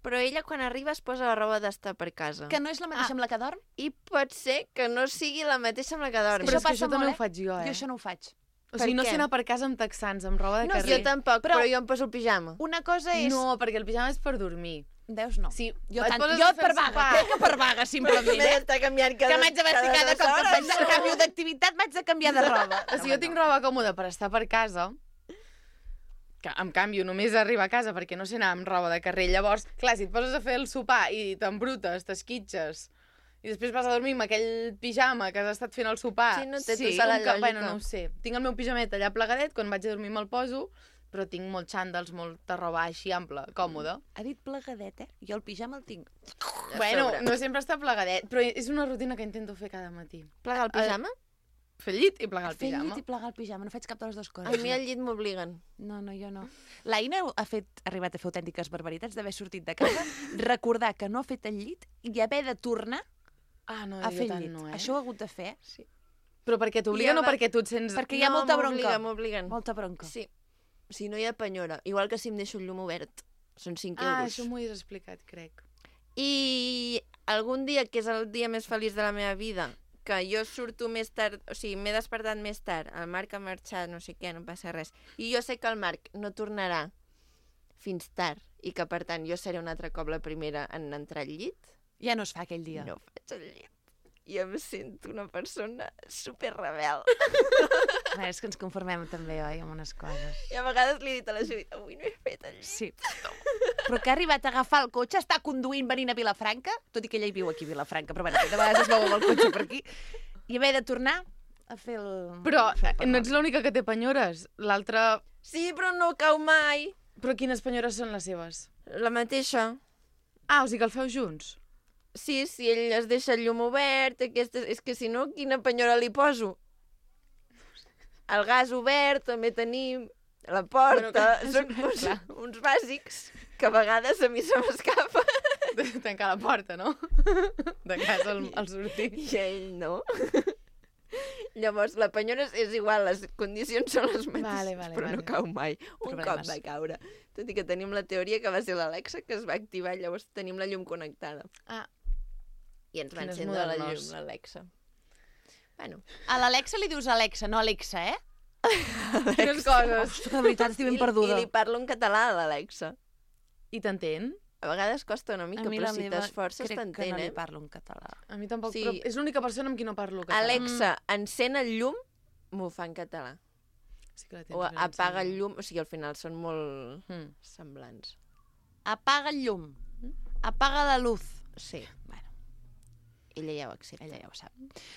però ella quan arriba es posa la roba d'estar per casa.
Que no és la mateixa amb la que dorm?
I pot ser que no sigui la mateixa amb la que dorm.
Però és que
passa
això també
molt,
ho faig jo,
Jo això no ho faig.
O sigui, no sé anar per casa amb texans, amb roba de
No,
carrer.
jo tampoc, però jo em poso el pijama.
Una cosa és...
No, perquè el pijama és per dormir.
Veus, no.
Sí,
Jo
et
tant,
poses
jo
a fer
per
el
vaga,
sopar.
crec que per vaga, simplement.
Però tu m'has d'estar canviant
que m'haig de vestir cada cop que faig el canvi d'activitat, m'haig de canviar de roba.
O sigui, jo tinc roba còmoda per estar per casa, que em canvio només a arribar a casa perquè no sé anar amb roba de carrer. Llavors, clar, si et poses a fer el sopar i t'embrutes, t'esquitxes, i després vas a dormir amb aquell pijama que has estat fent el sopar...
Sí, no té tota la lògica.
Bueno, no ho sé. Tinc el meu pijamet allà plegadet, quan vaig a dormir me'l poso, però tinc molts xandals, molta roba així ampla, còmoda.
Ha dit plegadet, Jo el pijama el tinc.
Bueno, no sempre està plegadet, però és una rutina que intento fer cada matí.
Plegar el pijama?
Fer el llit i plegar el
Fer
pijama.
el llit i plegar el pijama, no faig cap de les dues coses.
A mi al llit m'obliguen.
No, jo no. L'Aina ha arribat a fer autèntiques barbaritats d'haver sortit de casa, recordar que no ha fet el llit i haver de tornar a fer el llit.
No,
Això ho ha hagut de fer.
Sí.
Però perquè t'obliguen o perquè tu et sents...
Perquè hi ha molta bronca.
M'obliguen.
Molta bronca.
Sí. Si no hi ha penyora. Igual que si em deixo el llum obert. Són 5 euros.
Això m'ho has explicat, crec.
I algun dia, que és el dia més feliç de la meva vida, que jo surto més tard, o sigui, m'he despertat més tard, el Marc ha marxat, no sé què, no passa res, i jo sé que el Marc no tornarà fins tard, i que, per tant, jo seré un altre cop la primera en entrar al llit.
Ja no es fa aquell dia.
No faig el llit. I em sento una persona superrebel.
És que ens conformem també, oi, amb unes coses.
I a vegades li he dit a la Judit, avui no he fet el llit.
Sí. Però que ha arribat a agafar el cotxe, està conduint venint a Vilafranca, tot i que ella hi viu aquí a Vilafranca, però bueno, de vegades es veu amb el cotxe per aquí, i haver de tornar a fer el...
Però no ets l'única que té penyores. L'altra...
Sí, però no cau mai.
Però quines penyores són les seves?
La mateixa.
Ah, o sigui que el feu junts?
Sí, si ell es deixa el llum obert, és que si no, quina penyora li poso? El gas obert, també tenim la porta, són uns bàsics que a vegades a mi se m'escapa.
Tancar la porta, no? De casa al sortir.
I ell no. Llavors, la penyora és igual, les condicions són les mateixes, però no cau mai. Un cop va caure. Tot i que tenim la teoria que va ser l'Alexa que es va activar, llavors tenim la llum connectada.
Ah.
I ens va encendre la llum, l'Alexa. Bueno.
A l'Alexa li dius Alexa, no Alexa,
Quines coses.
Ostres, de veritat, estic ben perduda.
I li parlo en català a l'Alexa.
I t'entén?
A vegades costa una mica, però si t'esforces t'entén,
crec que no li parlo en català.
A mi tampoc, però és l'única persona amb qui no parlo català.
Alexa, encén el llum, m'ho fa en català.
Sí que
o apaga el llum, o sigui, al final són molt semblants.
Apaga el llum. Apaga la luz.
Sí. Bueno. Ella ja ho accepta.
Ella ja ho sap.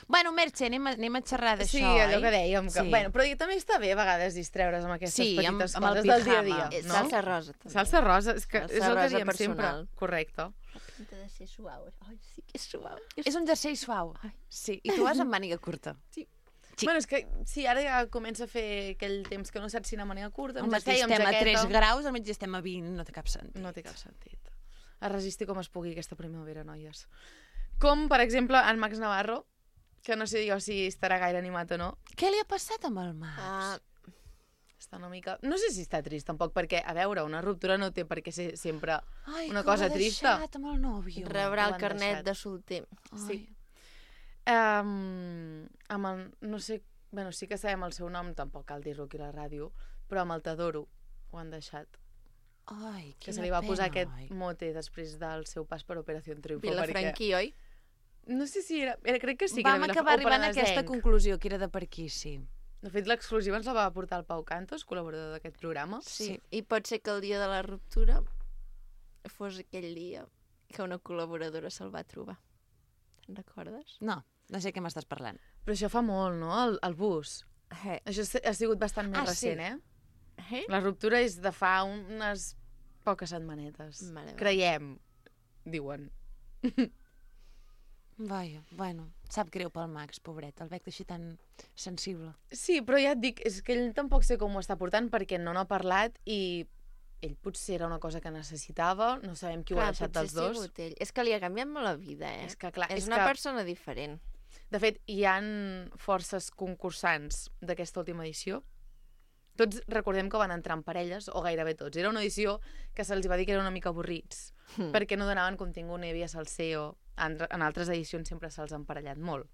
Bueno, Merche, anem a xerrar d'això,
sí, allò que dèiem. Que...
Sí.
Bueno, però també està bé a vegades distreure's amb aquestes petites
amb
coses del dia a dia.
No? Salsa rosa, també.
Salsa rosa, és que
salsa
és el que diem
personal.
sempre. Correcte.
La pinta de ser suau. Ai, sí que és suau.
És un jersei suau. Sí, i tu vas amb màniga curta.
Sí. Bueno, és que sí, ara ja comença a fer aquell temps que no saps si anar a màniga curta.
Al matí estem a 3 graus, al mig estem a 20, no té cap sentit.
No té cap sentit. A resistir com es pugui aquesta primavera, noies. Com, per exemple, en Max Navarro, que no sé jo si estarà gaire animat o no.
Què li ha passat amb el Max?
Està una mica... No sé si està trist, tampoc, perquè, a veure, una ruptura no té per què ser sempre una cosa trista.
Ai, que amb el nòvio.
Rebrà el carnet de solter.
Sí. No sé... Bueno, sí que sabem el seu nom, tampoc cal dir-lo aquí a la ràdio, però amb el T'adoro ho han deixat.
Ai,
que se li va posar aquest mote després del seu pas per Operació Triunfo.
Vilafranquí, oi?
No sé si era... Crec que sí.
Vam acabar arribant a aquesta conclusió, que era de per aquí, sí.
De fet, l'exclusiva ens la va portar el Pau Cantos, col·laborador d'aquest programa.
Sí, i pot ser que el dia de la ruptura fos aquell dia que una col·laboradora se'l va trobar. Te'n recordes?
No sé què m'estàs parlant.
Però això fa molt, no? El bus. Això ha sigut bastant més recent, La ruptura és de fa unes poques setmanetes. Creiem, diuen.
Vaja, bueno, sap greu pel Max, pobret, el veig així tan sensible.
Sí, però ja et dic, és que ell tampoc sé com ho està portant perquè no n'ha parlat i ell potser era una cosa que necessitava, no sabem qui ho ha deixat dels dos.
És que li ha canviat molt la vida,
És que, clar,
és una persona diferent.
De fet, hi han forces concursants d'aquesta última edició. Tots recordem que van entrar en parelles, o gairebé tots. Era una edició que se'ls va dir que eren una mica avorrits, perquè no donaven contingut, no hi havia salseo. En altres edicions sempre se'ls ha emparellat molt.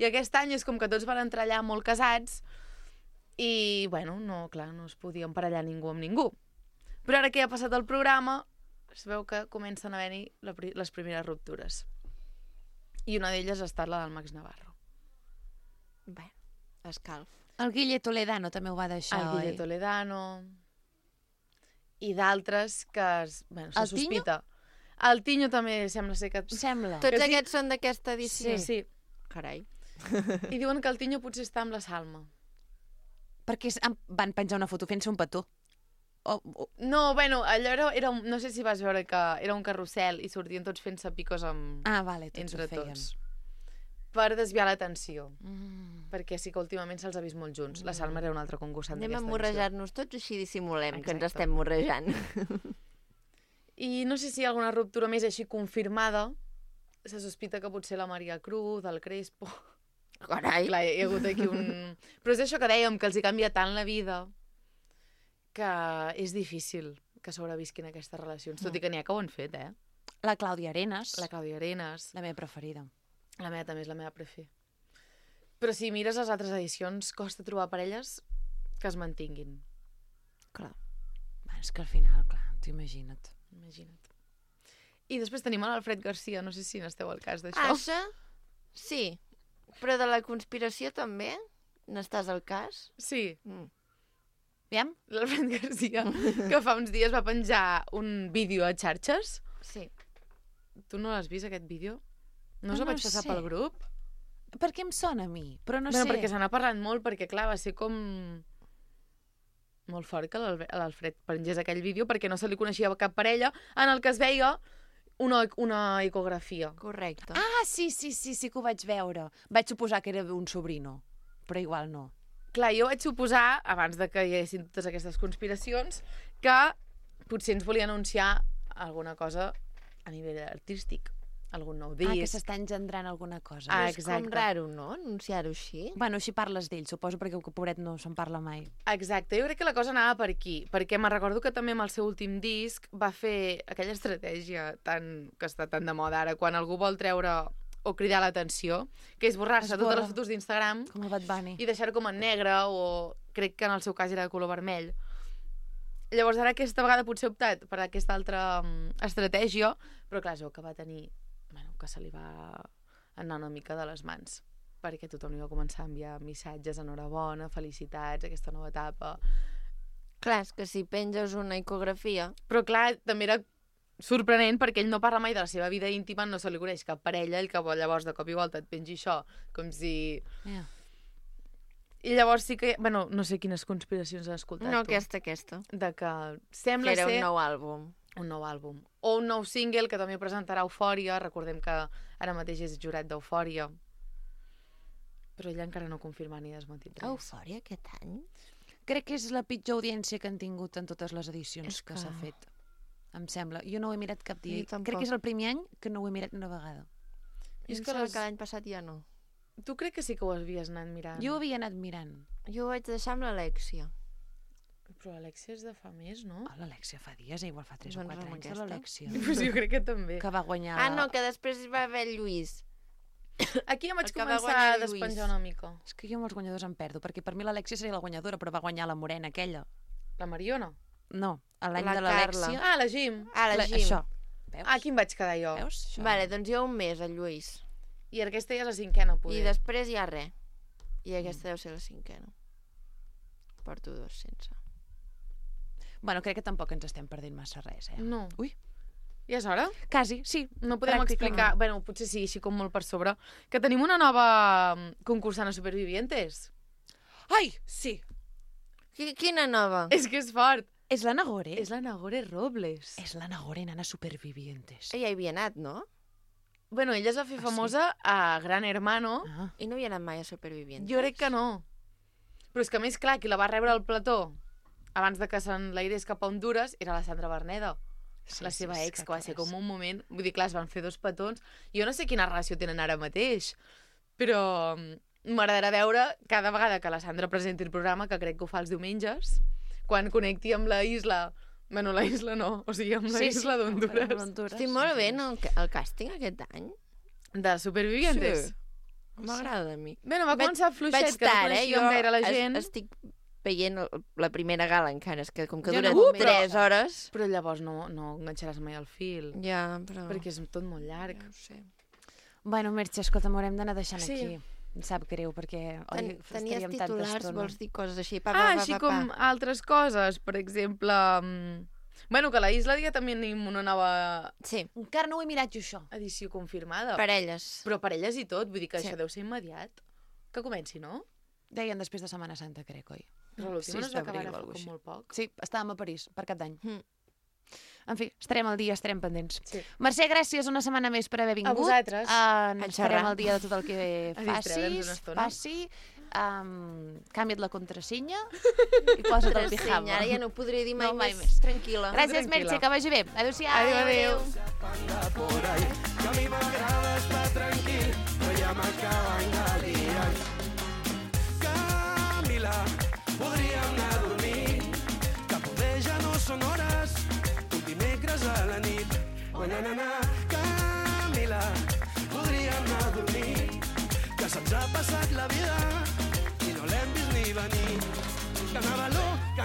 I aquest any és com que tots van entrar allà molt casats I, bueno, no es podia emparellar ningú amb ningú. Però ara que ja ha passat el programa, es veu que comencen a haver-hi les primeres ruptures. I una d'elles ha estat la del Max Navarro.
Bé, escalf.
El Guille Toledano també ho va deixar,
El Guille Toledano... I d'altres que se sospita. El Tinyo també sembla ser que...
Sembla.
Tots aquests són d'aquesta edició?
Sí.
Carai.
I diuen que el Tinyo potser està amb la Salma.
Perquè van penjar una foto fent-se un petó.
No, bueno, allò era no sé si vas veure que era un carrusel i sortien tots fent-se picos amb...
vale, tots
entre
ho feien.
tots. Per desviar l'atenció. Perquè sí que últimament se'ls ha vist molt junts. La Salma era una altra concursant d'aquesta edició.
Anem a morrejar-nos tots, així dissimulem que ens estem morrejant.
I no sé si hi ha alguna ruptura més així confirmada. Se sospita que potser la Maria Cruz, el Crespo...
Carai!
Clar, hi ha hagut aquí un... Però és això que dèiem, que els hi canvia tant la vida que és difícil que sobrevisquin aquestes relacions. Tot i que n'hi ha que ho han fet,
La Clàudia Arenas.
La Clàudia Arenas.
La meva preferida.
La meva també és la meva prefer. Però si mires les altres edicions, costa trobar parelles que es mantinguin.
Clar. És que al final, clar, t'ho imagina't.
I després tenim l'Alfred Garcia, no sé si n'esteu al cas d'això.
Això? Sí. Però de la conspiració també? N'estàs al cas?
Sí.
Aviam?
L'Alfred Garcia, que fa uns dies va penjar un vídeo a xarxes.
Sí.
Tu no l'has vist, aquest vídeo? No us ho vaig passar pel grup?
Per què em sona a mi? Però no sé.
Perquè se n'ha parlat molt, perquè clar, va ser com... molt fort que l'Alfred pengés aquell vídeo perquè no se li coneixia cap parella en el que es veia una ecografia.
Correcte.
Sí que ho vaig veure. Vaig suposar que era un sobrino, però igual no.
Clar, jo vaig suposar, abans de que hi haguessin totes aquestes conspiracions, que potser ens volia anunciar alguna cosa a nivell artístic. Algun nou disc.
Que s'està engendrant alguna cosa.
És com raro, no?, anunciar-ho així.
Bueno, així parles d'ell, suposo, perquè el pobret no se'n parla mai.
Exacte, jo crec que la cosa anava per aquí, perquè me'n recordo que també amb el seu últim disc va fer aquella estratègia que està tan de moda ara, quan algú vol treure o cridar l'atenció, que és borrar-se totes les fotos d'Instagram
com el Bad Bunny
i deixar-ho com en negre, o crec que en el seu cas era de color vermell. Llavors ara aquesta vegada potser he optat per aquesta altra estratègia, però clar, es veu que va tenir... que se li va anar una mica de les mans, perquè tothom li va començar a enviar missatges, enhorabona, felicitats, aquesta nova etapa.
Clar, és que si penges una ecografia...
Però clar, també era sorprenent perquè ell no parla mai de la seva vida íntima, no se li coneix cap parella, el que llavors de cop i volta et pengi això, com si... I llavors sí que... Bueno, no sé quines conspiracions has escoltat
No,
tu.
aquesta.
De que sembla
ser...
ser...
un nou àlbum.
Un nou àlbum. O un nou single que també presentarà Eufòria. Recordem que ara mateix és jurat d'Eufòria. Però ella encara no ha confirmat ni desmentit res.
Eufòria aquest any?
Crec que és la pitjor audiència que han tingut en totes les edicions que s'ha fet. Em sembla. Jo no ho he mirat cap dia. Crec que és el primer any que no ho he mirat una vegada.
És que l'any passat ja no.
Tu crec que sí que ho havies anat mirant.
Jo ho havia anat mirant.
Jo ho vaig deixar amb l'Alexia.
Però l'Alexia és de fa més, no?
L'Alexia fa dies, igual fa 3 o 4 anys de l'Alexia.
Pues jo crec que també.
Que va guanyar...
no, que després va haver el Lluís.
Aquí ja vaig començar a despenjar una mica.
És que jo amb els guanyadors em perdo, perquè per mi l'Alexia seria la guanyadora, però va guanyar la morena aquella.
La Mariona?
No, l'any de l'Alexia.
La Jim.
La Jim.
Això. Veus?
Aquí em vaig quedar jo.
Veus?
Vale, doncs jo un mes, el Lluís.
I aquesta ja és la 5ena, poder.
I després ja res. I aquesta deu ser la 5ena. Porto 2 sense.
Bueno, crec que tampoc ens estem perdent massa res,
No.
Ui.
Ja és hora?
Quasi, sí.
No podem explicar, bueno, potser sí, així com molt per sobre, que tenim una nova concursant a Supervivientes.
Ai, sí.
Quina nova?
És que és fort.
És la Nagore.
És la Nagore Robles.
És la Nagore, nana Supervivientes.
Ella hi havia anat, no?
Bueno, ella es va fer famosa a Gran Hermano.
I no havia anat mai a Supervivientes?
Jo crec que no. Però és que a més, clar, qui la va rebre al plató abans de que s'enlairés cap a Honduras era la Sandra Berneda, la seva ex, que va ser com un moment... Vull dir, clar, es van fer 2 petons. Jo no sé quina relació tenen ara mateix, però m'agradarà veure cada vegada que la Sandra presenti el programa, que crec que ho fa els diumenges, quan connecti amb la isla... Bueno, la isla no, o sigui, amb la isla d'Honduras.
Estic molt bé, no? El càsting aquest any.
De Supervivientes?
Sí. M'agrada a mi.
Bueno, va començar fluixet, que no coneixíem gaire la gent.
Estic veient la primera gala encara, és que com que
Jo
dura
no,
3 hores...
Però llavors no enganxaràs mai el fil.
Ja, però...
Perquè és tot molt llarg.
No ho sé.
Bueno, Merche, escolta, m'haurem d'anar deixant
Sí.
aquí. Em sap greu, perquè
Tenies
estaríem tanta
titulars,
estona.
vols dir coses així?
Així com altres coses, per exemple... Bueno, que a la Isla ja també tenim una nova...
Sí.
Encara no ho he mirat jo, això.
Edició confirmada.
Parelles.
Però parelles i tot, vull dir que
Sí.
això deu ser immediat. Que comenci, no?
Deien després de Setmana Santa, crec, oi?
Però l'última no es va acabar
d'abril o
fa
alguna
com
cosa
molt poc.
Sí, estàvem a París, per Cap d'Any.
Mm.
En fi, estarem al dia, estarem pendents.
Sí.
Mercè, gràcies una setmana més per haver vingut.
A vosaltres.
Ens
xerrar.
farem al dia de tot el que
A distreure'ns una estona.
faci. Canvia't la contrasenya i posa't el pijama.
Ara ja no ho podré dir mai,
No, mai
més. Tranquil·la.
Gràcies, Merche, que vagi bé. Adéu-siau.
Adéu.
por ahí, que a mi m'agrada estar tranquil, però ja m'acaben de liar. Camila, podríem anar a dormir, que poder ja no són hores, un dimecres a la nit. Oh, na, na, na. Camila, podríem anar a dormir, que se'ns ha passat la vida i no l'hem vist ni venir. Que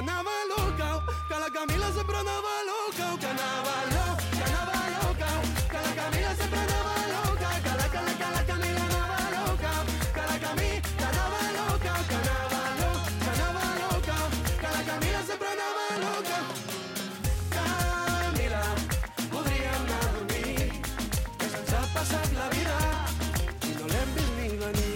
anava loca, que la Camila sempre anava loca, que anava loca, que la Camila sempre anava loca, que la Camila anava loca, que la Camila anava loca, que anava loca, que la Camila sempre anava loca. Camila, podríem anar a dormir, que se'ns ha passat la vida i no l'hem vist ni venir.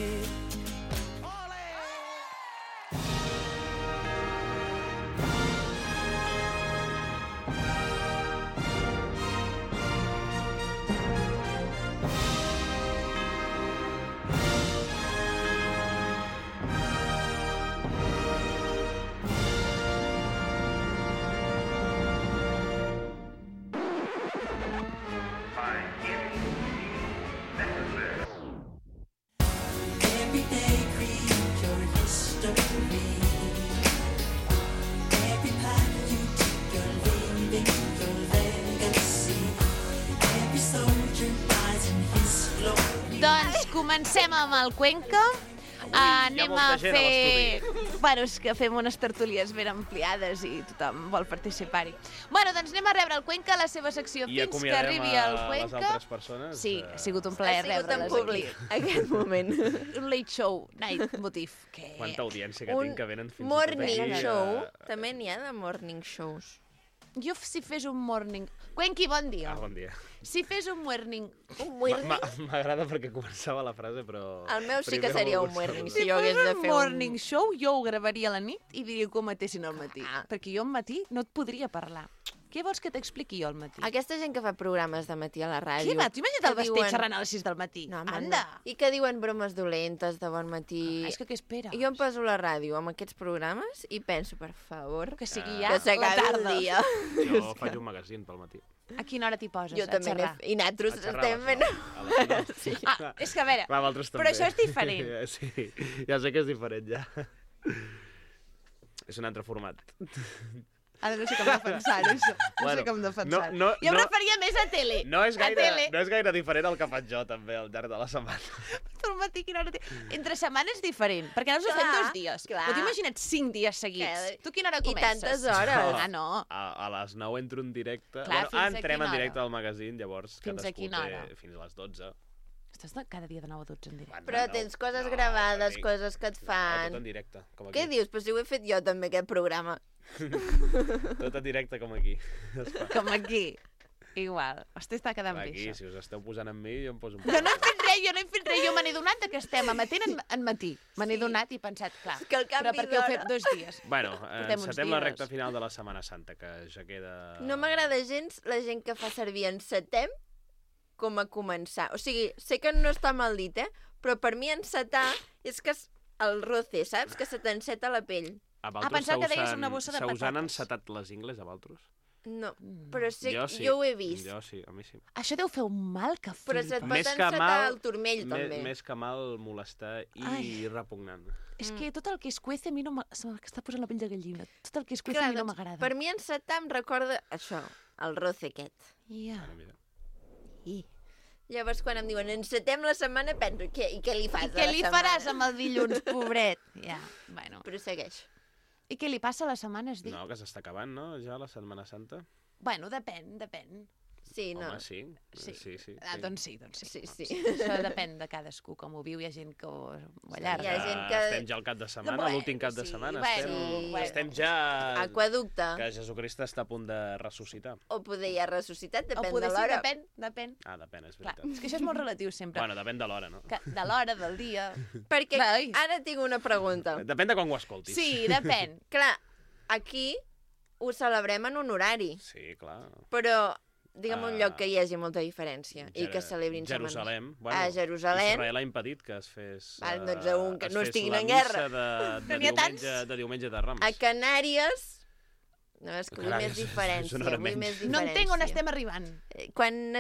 Every day create your history. Every path you take, you're leaving your legacy. Every soldier dies in his glory.
Doncs comencem amb el Cuenca. Anem a
molta gent a
fer... Bueno, és que fem unes tertúlies ben ampliades i tothom vol participar-hi. Bueno, doncs anem a rebre el Cuenca, la seva secció
I
fins que
acomiadem
arribi el
a les
Cuenca.
altres persones.
Sí, ha sigut un plaer
Ha sigut en
rebre-les
públic, aquest moment.
Un late show, night motif. Que...
Quanta audiència que tinc, que venen fins
morning
i tot aquí.
show. També n'hi ha de morning shows.
Jo si fes un morning... Cuenqui, bon dia.
Bon dia.
Si fes un morning...
M'agrada perquè començava la frase, però...
El meu sí que
primer
seria
m'ho
un morning,
gusta.
si jo hagués de fer
morning show, jo ho gravaria a la nit i diria que ho matessin al matí. Perquè jo al matí no et podria parlar. Què vols que t'expliqui jo al matí?
Aquesta gent que fa programes de matí a la ràdio...
Què va? T'ho imagina't el
que
Basté xerrant a les 6 del matí?
No, home,
Anda!
no. I que diuen bromes dolentes de bon matí.
És que què esperes?
Jo em poso la ràdio amb aquests programes i penso, per favor,
que sigui ja
que
la
s'acabi el
tarda.
dia.
Jo faig un magazín pel matí.
A quina hora t'hi poses?
Jo també
xerrar?
I nosaltres
A xerrar
estem fent...
a les 9.
Sí.
Ah, és que a veure,
Va, vosaltres
però
també.
això és diferent.
Sí, ja sé que és diferent, ja. És un altre format.
Ara no sé com defensar-ho, això. No sé com defensar-ho. Jo em referia més a tele.
No és gaire,
A tele.
no és gaire diferent el que faig jo, també, al llarg de la setmana.
Al matí, quina hora Entre setmana és diferent, perquè nosaltres ho fem 2 dies.
clar.
Però t'imagina't 5 dies seguits. Tu quina hora
I
comences?
tantes hores.
Ah, no.
A les 9 entro en directe.
Clar, fins a
entrem
quina
en directe
hora?
al magazín, llavors
Fins a
cadascú
quina
té
hora?
fins a les 12.
Estàs cada dia de 9 a 12 en directe.
Però tens coses gravades, coses que et
Tot
fan...
en directe, com aquí.
Què dius? Però si ho he fet jo també, aquest programa.
Tot en directe, com aquí. Es fa.
Com aquí. Igual. Hosti, està quedant bé,
Aquí,
això.
si us esteu posant amb mi, jo em poso un
Jo no he fet res, jo me n'he donat que estem emetent en matí. Me n'he donat i he pensat, clar,
que el
però
canvi
perquè ho he fet
d'hora.
2 dies.
Bueno,
Portem uns
encetem la
dies.
recta final de la Setmana Santa, que ja queda...
No m'agrada gens la gent que fa servir encetem com a començar. O sigui, sé que no està mal dit, però per mi encetar és que el roce, saps? Que se t'enceta la pell.
A vosaltres
pensava que deies una bossa de
se us han
patates.
encetat les ingles, a vosaltres?
No, però sé,
sí.
jo ho he vist.
Jo sí, a mi sí.
Això deu fer un mal que flipa.
Però se't pot
Més que
encetar
mal-
el turmell, també.
Més que mal, molestar i
Ai.
repugnant.
És que tot el que es cuece a mi no se m'està posant la pell de gallina. Tot el que es cuece
Clar,
a mi no
doncs,
m'agrada.
per mi encetar em recorda això, el roce aquest.
Ja.
Mira.
Llavors, quan em diuen encetem la setmana, penso, i què li fas
I què li faràs amb el dilluns, pobret? Ja, bueno.
Però segueix.
I què li passa a la setmana, es diu?
No, que s'està acabant, no? Ja la Setmana Santa.
Bueno, depèn.
Sí, no.
Home, sí.
Doncs sí.
Sí.
Això depèn de cadascú, com ho viu. Hi ha gent que ho allarga.
Hi ha gent que...
Estem ja al cap de setmana, l'últim cap de setmana. Estem ja...
Aqueducte.
Que Jesucrist està a punt de ressuscitar.
O poder ja ressuscitat, depèn
O
de
poder
l'hora.
sí, depèn.
Ah, depèn, és
Clar,
veritat.
és que això és molt relatiu sempre.
Bueno, depèn de l'hora, no?
De l'hora, del dia...
Perquè
Clar,
ara tinc una pregunta.
Depèn de quan ho escoltis.
Sí, depèn.
Clar, aquí ho celebrem en un horari.
Sí, clar.
Però... Digue'm un lloc que hi hagi molta diferència i que celebrin
Jerusalem.
setmanes. A Jerusalem.
Israel ha impedit que es fes...
Val, doncs que no estiguin en guerra.
De diumenge de Rams.
A Canàries... No, és que vull més diferència.
No entenc on estem arribant.
Quan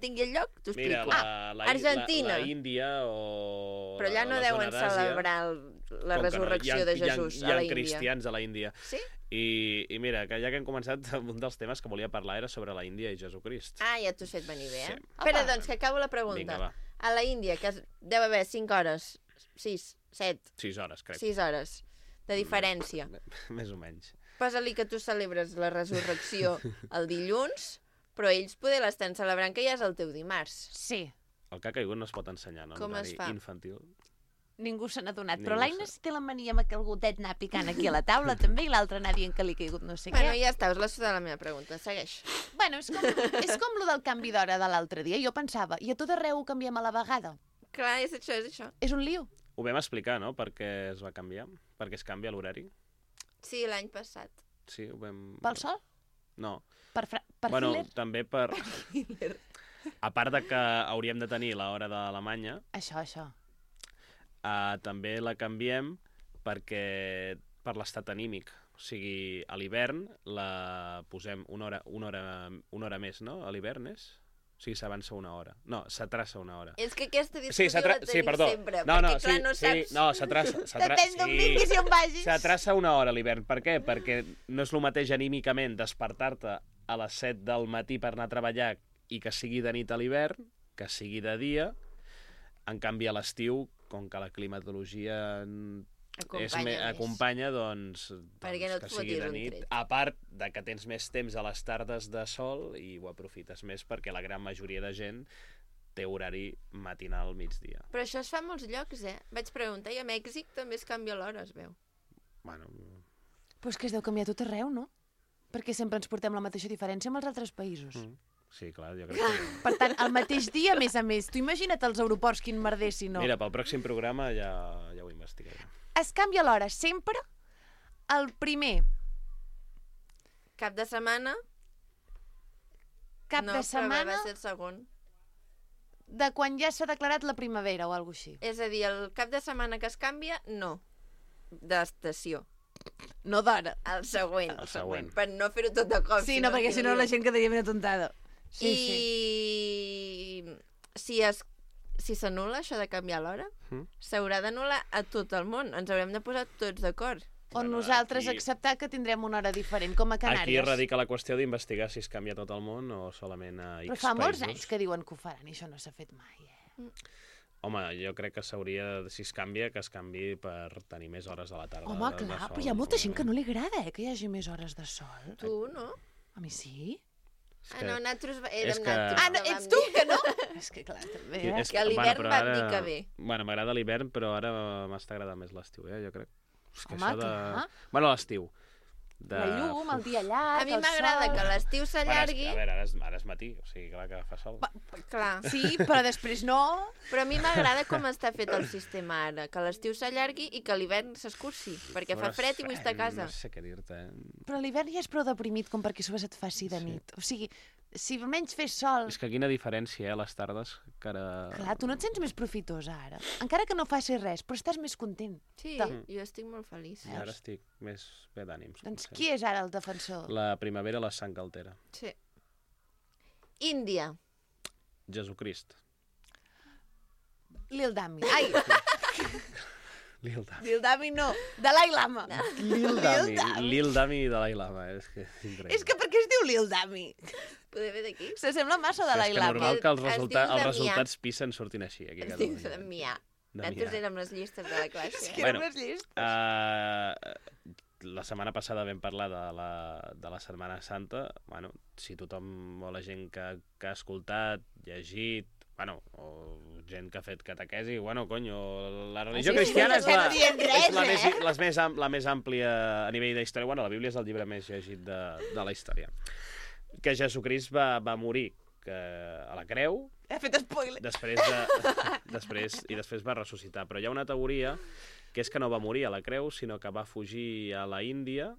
tingui el lloc, t'ho explico.
Mira,
Argentina.
la Índia o
Però allà no deuen celebrar la resurrecció de Jesús a la Índia.
Hi ha cristians a la Índia.
Sí?
I mira, que ja que hem començat, un dels temes que volia parlar era sobre la Índia i Jesucrist.
Ah, ja t'ho has fet venir bé, eh?
Sí.
Espera, doncs, que acabo la pregunta.
Vinga, va.
A la Índia, que deu haver 5 hores, 6, 7...
6 hores, crec.
6 hores de diferència.
Més o menys.
Posa-li que tu celebres la resurrecció el dilluns, però ells poder l'estan celebrant que ja és el teu dimarts.
Sí.
El que ha caigut no es pot ensenyar, no?
Com es fa?
Infantil.
Ningú se n'ha donat. Però l'Aina sí té la mania amb que el gotet anar picant aquí a la taula també i l'altre anar dient que li ha caigut no sé què.
Bueno, ja està, us la suda la meva pregunta. Segueix.
Bueno, és com lo del canvi d'hora de l'altre dia. Jo pensava, i a tot arreu ho canviem a la vegada.
Clar, és això.
És un lío.
Ho vam explicar, no?, per què es va canviar. Per què es canvia l'horari.
Sí, l'any passat.
Sí, ho vam...
Pel sol?
No.
Per
bueno,
Hitler?
també per... A part de que hauríem de tenir l'hora d'Alemanya...
Això.
També la canviem perquè per l'estat anímic. O sigui, a l'hivern la posem una hora més, no? A l'hivern és? O sigui, s'avança una hora. No, s'atraça una hora.
És que aquesta discussió la tenim sempre, perquè clar, no saps...
No, s'atraça.
Depèn d'on vinguis i on vagis.
S'atraça una hora a l'hivern. Per què? Perquè no és el mateix anímicament despertar-te a les 7 del matí per anar a treballar i que sigui de nit a l'hivern, que sigui de dia. En canvi, a l'estiu, com que la climatologia acompanya, doncs
no
que sigui de nit. A part de que tens més temps a les tardes de sol i ho aprofites més perquè la gran majoria de gent té horari matinal al migdia.
Però això es fa a molts llocs, eh? Vaig preguntar, i a Mèxic també es canvia l'hora, es veu.
Bueno...
Però és que es deu canviar tot arreu, no? Perquè sempre ens portem la mateixa diferència amb els altres països.
Sí, clar, jo crec que...
Per tant, el mateix dia, a més, tu imagina't els aeroports quin merder, si no.
Mira, pel pròxim programa ja ho investigarem.
Es canvia l'hora sempre el primer.
Cap de setmana?
De setmana...
No, va ser el segon.
De quan ja s'ha declarat la primavera o alguna cosa així.
És a dir, el cap de setmana que es canvia, no. D'estació.
No d'hora.
El següent.
El següent.
Per no fer-ho tot de cop.
Sí, no, perquè si no la gent quedaria ben atontada.
Si s'anul·la això de canviar l'hora, s'haurà d'anul·lar a tot el món. Ens haurem de posar tots d'acord.
O nosaltres acceptar que tindrem una hora diferent, com a Canàries.
Aquí radica la qüestió d'investigar si es canvia tot el món o solament a X països.
Però fa molts anys que diuen que ho faran i això no s'ha fet mai,
Home, jo crec que s'hauria, si es canvia, que es canvi per tenir més hores a la tarda.
Home, clar, però hi ha molta gent que no li agrada, que hi hagi més hores de sol.
Tu, no?
A mi sí.
No, nosaltres érem
ets tu, que no? És que clar, també,
que a l'hivern vam dir que bé.
Bueno, m'agrada l'hivern, però ara m'està agradant més l'estiu, jo crec.
Home, clar.
Bueno, l'estiu.
La llum, el dia llarg,
a mi m'agrada que l'estiu s'allargui.
A veure, ara és matí, o sigui, clar que fa sol.
Clar.
Sí, però després no.
Però a mi m'agrada com està fet el sistema ara, que l'estiu s'allargui i que l'hivern s'escurci, perquè fa fred i vull estar a casa.
No sé què dir-te,
Però l'hivern ja és prou deprimit com perquè això et faci de nit. O sigui, si almenys fes sol...
És que quina diferència, les tardes, que ara...
Clar, tu no et sents més profitosa ara. Encara que no facis res, però estàs més content.
Sí, jo estic molt feliç.
I ara estic més bé d'ànims.
Doncs qui és ara el defensor?
La primavera la sang altera.
Sí. Índia.
Jesucrist.
Lil Dami. Ai!
Lil Dami.
Lil Dami no, Dalai Lama.
Lil Dami i Dalai Lama, és que és increïble.
És que per què es diu Lil Dami?
Poder ve d'aquí?
S'assembla massa a Dalai Lama.
És normal que els resultats PISA en surtin així. Aquí
es diu Damià. Nosaltres érem les llistes de la classe.
És que érem les llistes.
la setmana passada vam parlar de la Setmana Santa. Bueno, si tothom o la gent que ha escoltat, llegit, bueno, o gent que ha fet catequesi, bueno, conyo, la religió cristiana és la més àmplia a nivell d'història. Bueno, la Bíblia és el llibre més llegit de la història. Que Jesucrist va morir a la creu.
He fet spoiler.
Després va ressuscitar. Però hi ha una teoria que és que no va morir a la creu, sinó que va fugir a la Índia,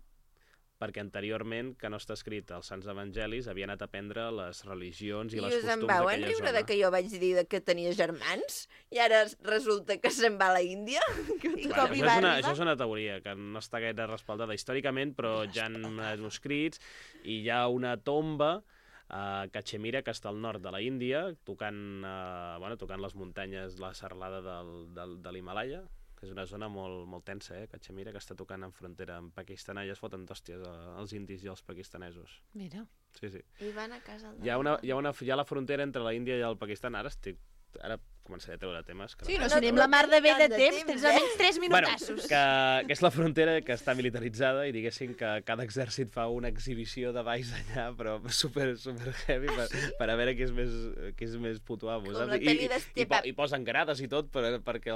perquè anteriorment, que no està escrit als Sants Evangelis, havia anat a aprendre les religions i les costums d'aquella zona. I us en
van riure que jo vaig dir que tenia germans? I ara resulta que se'n va a la Índia?
Això és una teoria que no està gaire respaldada històricament, però ja han manuscrits i hi ha una tomba a Cachemira, que està al nord de la Índia, tocant les muntanyes, la serralada de l'Himalaya, que és una zona molt tensa, Cachemira, que està tocant en frontera amb Pakistan. Allà es foten d'hòsties els indis i els pakistanesos.
Mira.
Sí.
I van a casa
hi ha la frontera entre la Índia i el Pakistan. Ara començaré a treure temes.
Sí, no serem la mar de bé de temps, tens almenys 3 minutassos.
Bueno, que és la frontera que està militaritzada i diguéssim que cada exèrcit fa una exhibició de balls allà, però super heavy per a veure qui és més puto amo.
Com la pel·li d'Estepan.
I posen grades i tot perquè hi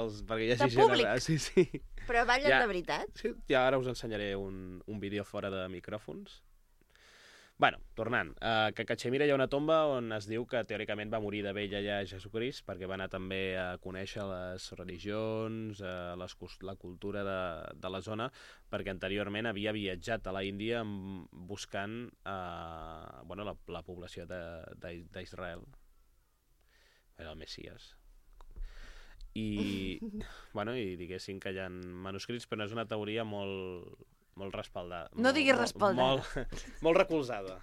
hagi
gent... De públic?
Sí.
Però ballen de veritat?
Sí, ja ara us ensenyaré un vídeo fora de micròfons. Bueno, tornant, que a Cachemira hi ha una tomba on es diu que teòricament va morir de vell allà Jesucrist, perquè va anar també a conèixer les religions, la cultura de la zona, perquè anteriorment havia viatjat a la Índia buscant la població d'Israel. Era el Messies. I diguéssim que hi ha manuscrits, però no és una teoria molt respaldada.
No diguis respaldada.
Molt recolzada.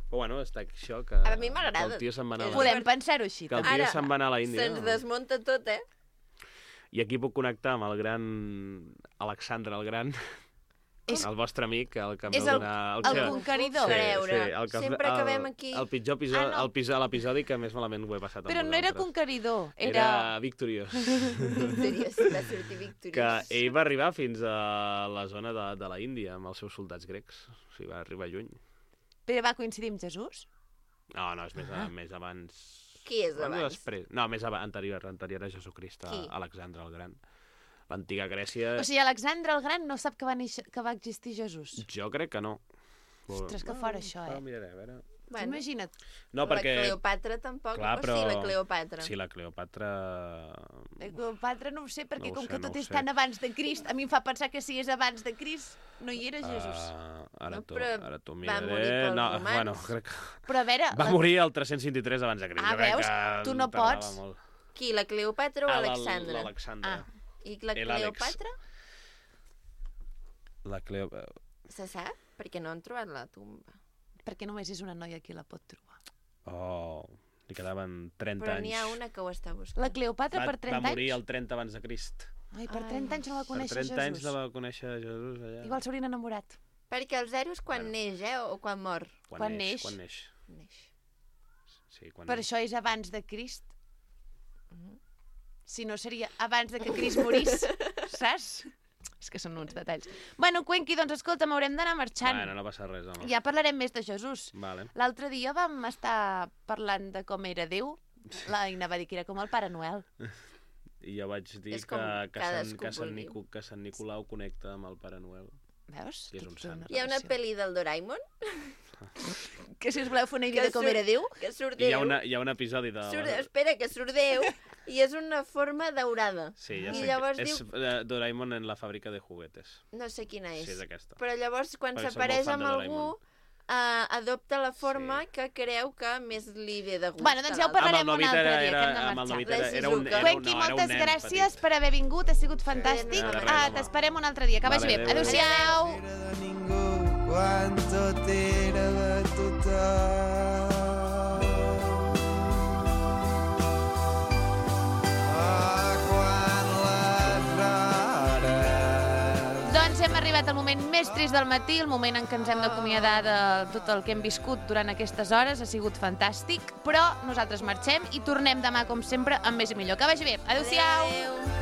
Però bueno, està això que...
A mi m'agrada.
Que el tio se'n va anar...
Podem pensar-ho així.
Que el tio se'n va anar a la Índia.
Se'ns desmunta tot,
I aquí puc connectar amb el gran Alexandre el Gran, el vostre amic, el que em va donar...
El conqueridor.
Sempre acabem aquí.
El pitjor episodi, l'episodi que més malament ho he passat amb
Però no era conqueridor,
era victoriós.
Victoriós, va sortir victoriós.
Que ell va arribar fins a la zona de la Índia amb els seus soldats grecs. O sigui, va arribar lluny.
Però va coincidir amb Jesús?
No, és més abans...
Qui és abans?
No, més anterior a Jesucrist, Alexandre el Gran. L'antiga Grècia...
O sigui, Alexandre el Gran no sap que va existir Jesús?
Jo crec que no.
Ostres, que fora això,
Miraré, a veure...
Bueno,
imagina't.
No, perquè...
La Cleopatra tampoc. Clar, però... O sí, la Cleopatra.
Sí, la Cleopatra...
La Cleopatra no ho sé, perquè com que tot és tan abans de Crist, a mi em fa pensar que si és abans de Crist, no hi era Jesús.
Ara t'ho miraré...
Va morir pels romans.
Bueno, crec que...
Però a veure...
Va morir el 323 abans de Crist.
Veus? Tu no pots.
Qui, la Cleopatra o Alexandre?
L'Alexandre.
I la Cleopatra?
La Cleopatra...
Se sap? Perquè no han trobat la tomba.
Perquè només és una noia qui la pot trobar.
Li quedaven 30 anys.
Però n'hi ha una que ho està buscant.
La Cleopatra per 30 anys?
Va morir el 30 abans de Crist.
Ai, per 30 anys no va conèixer Jesús.
Per 30 anys no va conèixer Jesús allà.
Igual s'haurien enamorat.
Perquè el zero és quan neix, o quan mor?
Quan neix. Sí, quan
per això és abans de Crist. Si no seria abans de que Crist morís, saps? És que són uns detalls. Bueno, Cuenqui, doncs escolta, m'haurem d'anar marxant.
Bueno, no passa res, home.
Ja parlarem més de Jesús.
Vale.
L'altre dia vam estar parlant de com era Déu. L'Aina va dir que era com el Pare Noel.
I jo vaig dir que Sant Nicolau connecta amb el Pare Noel.
Veus?
I és un sant.
Hi ha una pel·li del Doraemon?
Que si us voleu fer una idea de com era Déu?
Que surt Déu.
Hi ha un episodi de...
Espera, que surt Déu i és una forma daurada.
Sí, ja sé. És Doraemon en la fàbrica de juguetes.
No sé quina és.
Sí, és aquesta.
Però llavors, quan s'apareix amb algú, adopta la forma que creu que més li ve de gust.
Bueno, doncs ja ho parlarem un altre dia, que hem de marxar. Cuenqui, moltes gràcies per haver vingut, ha sigut fantàstic. T'esperem un altre dia, que vagi bé. Adéu-siau.
Quan tot era de tothom.
Doncs hem arribat al moment més trist del matí, el moment en què ens hem d'acomiadar de tot el que hem viscut durant aquestes hores. Ha sigut fantàstic, però nosaltres marxem i tornem demà, com sempre, amb més i millor. Que vagi bé. Adéu-siau.